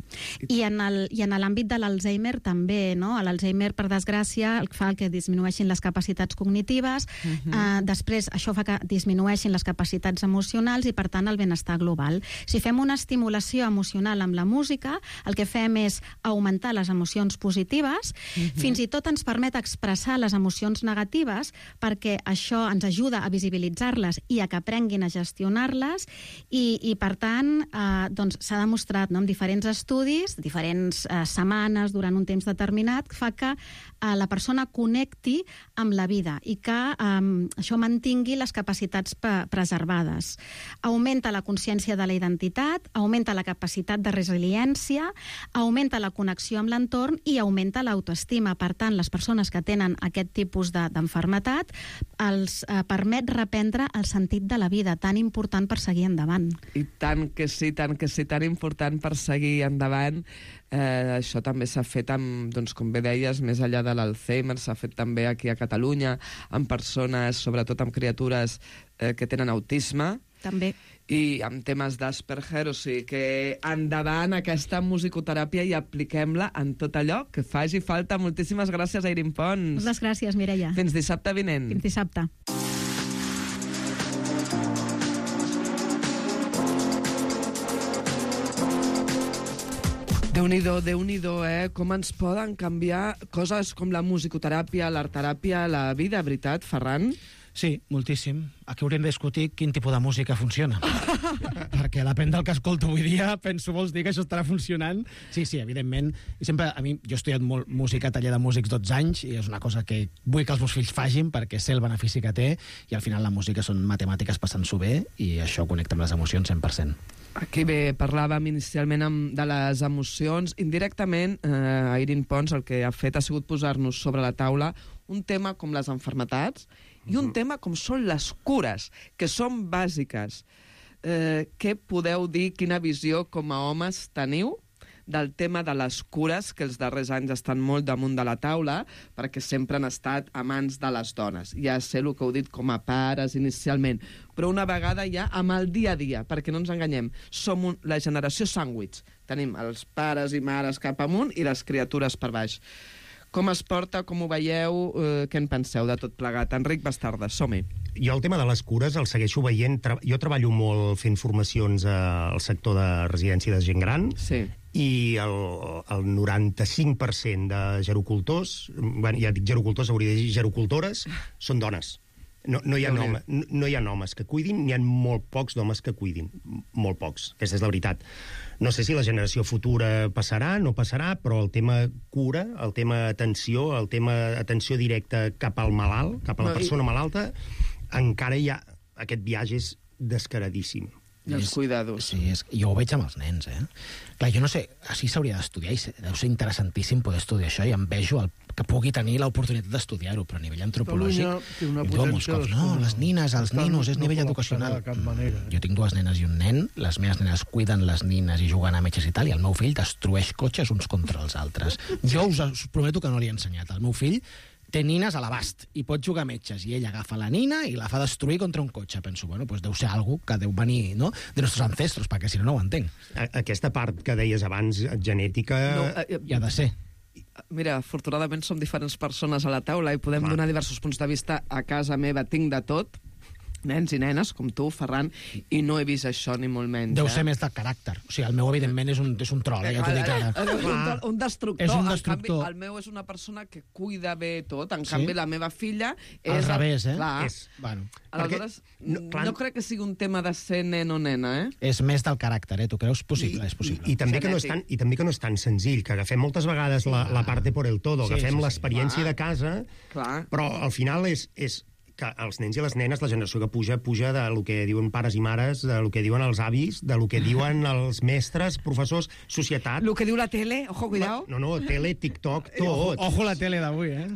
I en el, i en l'àmbit de l'Alzheimer també, no? L'Alzheimer, per desgràcia, fa que disminueixin les capacitats cognitives. Uh-huh. uh, després això fa que disminueixin les capacitats emocionals i, per tant, el benestar global. Si fem una estimulació emocional amb la música, el que fem és augmentar les emocions positives, uh-huh. fins i tot ens permet expressar les emocions negatives, perquè això ens ajuda a visibilitzar-les i a que aprenguin a gestionar-les, i, i per tant, eh, doncs, s'ha demostrat, no, en diferents estudis, diferents eh, setmanes, durant un temps determinat, fa que eh, la persona connecti amb la vida i que eh, això mantingui les capacitats preservades. Augmenta la consciència de la identitat, augmenta la capacitat de resiliència, augmenta la connexió amb l'entorn i augmenta l'autoestima. Per tant, les persones que tenen aquest tipus d'enfermetat els eh, permet reprendre el sentit de la vida, tan important per seguir endavant. I tant tant que sí, tant que sí, tan important per seguir endavant. Eh, això també s'ha fet amb, doncs, com bé deies, més enllà de l'Alzheimer, s'ha fet també aquí a Catalunya, amb persones, sobretot amb criatures eh, que tenen autisme. També. I amb temes d'Asperger, o sigui que endavant aquesta musicoteràpia i apliquem-la en tot allò que faci falta. Moltíssimes gràcies, Airín Pons. Moltes gràcies, Mireia. Fins dissabte vinent. Fins dissabte. Déu-n'hi-do, Déu-n'hi-do, eh? Com ens poden canviar coses com la musicoteràpia, l'artteràpia, la vida, veritat, Ferran? Sí, moltíssim. Aquí hauríem de discutir quin tipus de música funciona. Perquè depèn del que escolto avui dia, penso, vols dir que això estarà funcionant? Sí, sí, evidentment. I sempre, a mi, jo he estudiat molt música, taller de músics dotze anys, i és una cosa que vull que els meus fills facin perquè sé el benefici que té, i al final la música són matemàtiques passant-s'ho bé, i això connecta amb les emocions cent per cent. Aquí bé, parlàvem inicialment amb, de les emocions. Indirectament, eh, Airín Pons el que ha fet ha sigut posar-nos sobre la taula un tema com les malalties i un tema com són les cures, que són bàsiques. Eh, què podeu dir, quina visió com a homes teniu del tema de les cures, que els darrers anys estan molt damunt de la taula, perquè sempre han estat a mans de les dones. Ja sé el que heu dit com a pares inicialment, però una vegada ja amb el dia a dia, perquè no ens enganyem, som un, la generació sàndwich. Tenim els pares i mares cap amunt i les criatures per baix. Com es porta, com ho veieu, eh, què en penseu de tot plegat? Enric Bastarda, som-hi. Jo el tema de les cures el segueixo veient. Jo treballo molt fent formacions al sector de residència de gent gran, sí. I el, el noranta-cinc per cent de gerocultors, bueno, ja dic gerocultors, hauria de dir gerocultores, són dones. No, no, hi ha home, no, no hi ha homes que cuidin, n'hi ha molt pocs d'homes que cuidin. Molt pocs, aquesta és la veritat. No sé si la generació futura passarà, no passarà, però el tema cura, el tema atenció, el tema atenció directa cap al malalt, cap a la persona malalta, encara hi ha... Aquest viatge és descaradíssim. I els cuidados. Sí, és, jo ho veig amb els nens, eh? Clar, jo no sé, així s'hauria d'estudiar, i deu ser interessantíssim poder estudiar això, i em vejo el, que pugui tenir l'oportunitat d'estudiar-ho, però a nivell antropològic... Té una diu molts cops, no, les nines, els ninos, és no nivell educacional. De cap manera. Jo tinc dues nenes i un nen, les meves nenes cuiden les nines i juguen a metges i tal, i el meu fill destrueix cotxes uns contra els altres. Jo us, us prometo que no li he ensenyat. El meu fill té nines a l'abast i pot jugar a metges, i ell agafa la nina i la fa destruir contra un cotxe. Penso, bueno, pues deu ser algo que deu venir, no?, de nostres ancestros, perquè si no, no ho entenc. Aquesta part que deies abans, genètica... No, eh, hi ha de ser. Mira, afortunadament som diferents persones a la taula i podem Clar. donar diversos punts de vista. A casa meva tinc de tot, nens i nenes, com tu, Ferran, i no he vist això ni molt menys. Deu eh? ser més de caràcter. O sigui, el meu, evidentment, és un, és un troll, eh, ja t'ho dic ara. Un, un destructor. És un En destructor. canvi, el meu és una persona que cuida bé tot. En Sí? canvi, la meva filla és... Al revés, eh? Clar. És, bueno, Aleshores, Perquè- no, no, clar- no crec que sigui un tema de ser nen o nena, eh? és més del caràcter, eh? Tu creus? Possible, és possible. I, i, també que no és tan, I també que no és tan senzill, que agafem moltes vegades la, la parte por el todo, Sí, agafem sí, sí. l'experiència Clar. de casa, Clar. però al final és, és que els nens i les nenes, la generació que puja, puja de lo que diuen pares i mares, de lo que diuen els avis, de lo que diuen els mestres, professors, societat... Lo que diu la tele, ojo, cuidao. No, no, tele, TikTok, tot. Ojo la tele d'avui, eh?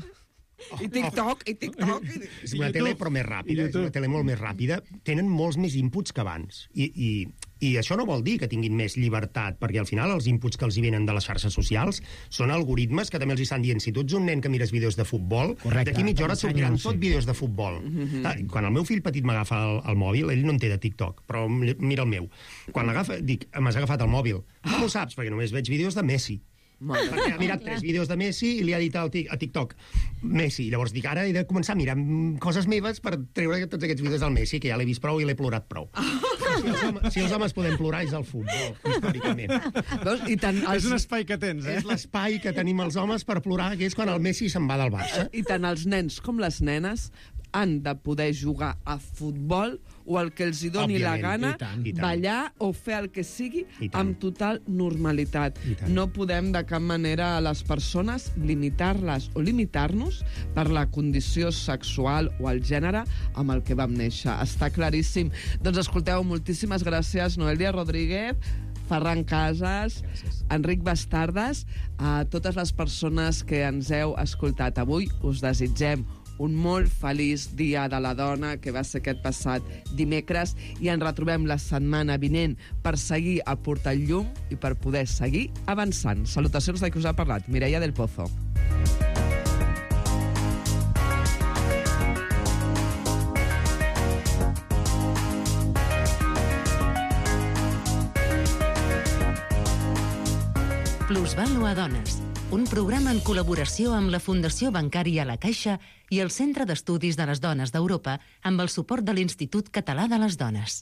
I TikTok, i TikTok. I... És una tele però més ràpida, és una tele molt més ràpida. Tenen molts més inputs que abans. I, i, I això no vol dir que tinguin més llibertat, perquè al final els inputs que els hi venen de les xarxes socials són algoritmes que també els hi estan dient. Si tu ets un nen que mires vídeos de futbol, d'aquí mitja hora et sortiran tot vídeos de futbol. Mm-hmm. Quan el meu fill petit m'agafa el, el mòbil, ell no en té de TikTok, però mira el meu. Quan l'agafa, dic, m'has agafat el mòbil. Com ho saps? Perquè només veig vídeos de Messi. Perquè ha mirat tres vídeos de Messi i li ha dit al tic, a TikTok Messi. Llavors dic, ara he de començar a mirar coses meves per treure tots aquests vídeos del Messi, que ja l'he vist prou i l'he plorat prou. Si els, homes, si els homes podem plorar és el futbol, històricament. Veus? I tant els... És un espai que tens, eh? És l'espai que tenim els homes per plorar, que és quan el Messi se'n va del Barça. I tant els nens com les nenes han de poder jugar a futbol o el que els hi doni Òbviament, la gana, i tant, i tant. ballar o fer el que sigui I tant. amb total normalitat. I tant. No podem de cap manera a les persones limitar-les o limitar-nos per la condició sexual o el gènere amb el que vam néixer. Està claríssim. Doncs escolteu, moltíssimes gràcies, Noelia Rodríguez, Ferran Casas, gràcies. Enric Bastardas, a totes les persones que ens heu escoltat avui. Us desitgem un molt feliç Dia de la Dona, que va ser aquest passat dimecres, i ens retrobem la setmana vinent per seguir aportant llum i per poder seguir avançant. Salutacions de qui us ha parlat, Mireia del Pozo. Plusvàlua Dones, un programa en col·laboració amb la Fundació Bancària La Caixa i el Centre d'Estudis de les Dones d'Europa amb el suport de l'Institut Català de les Dones.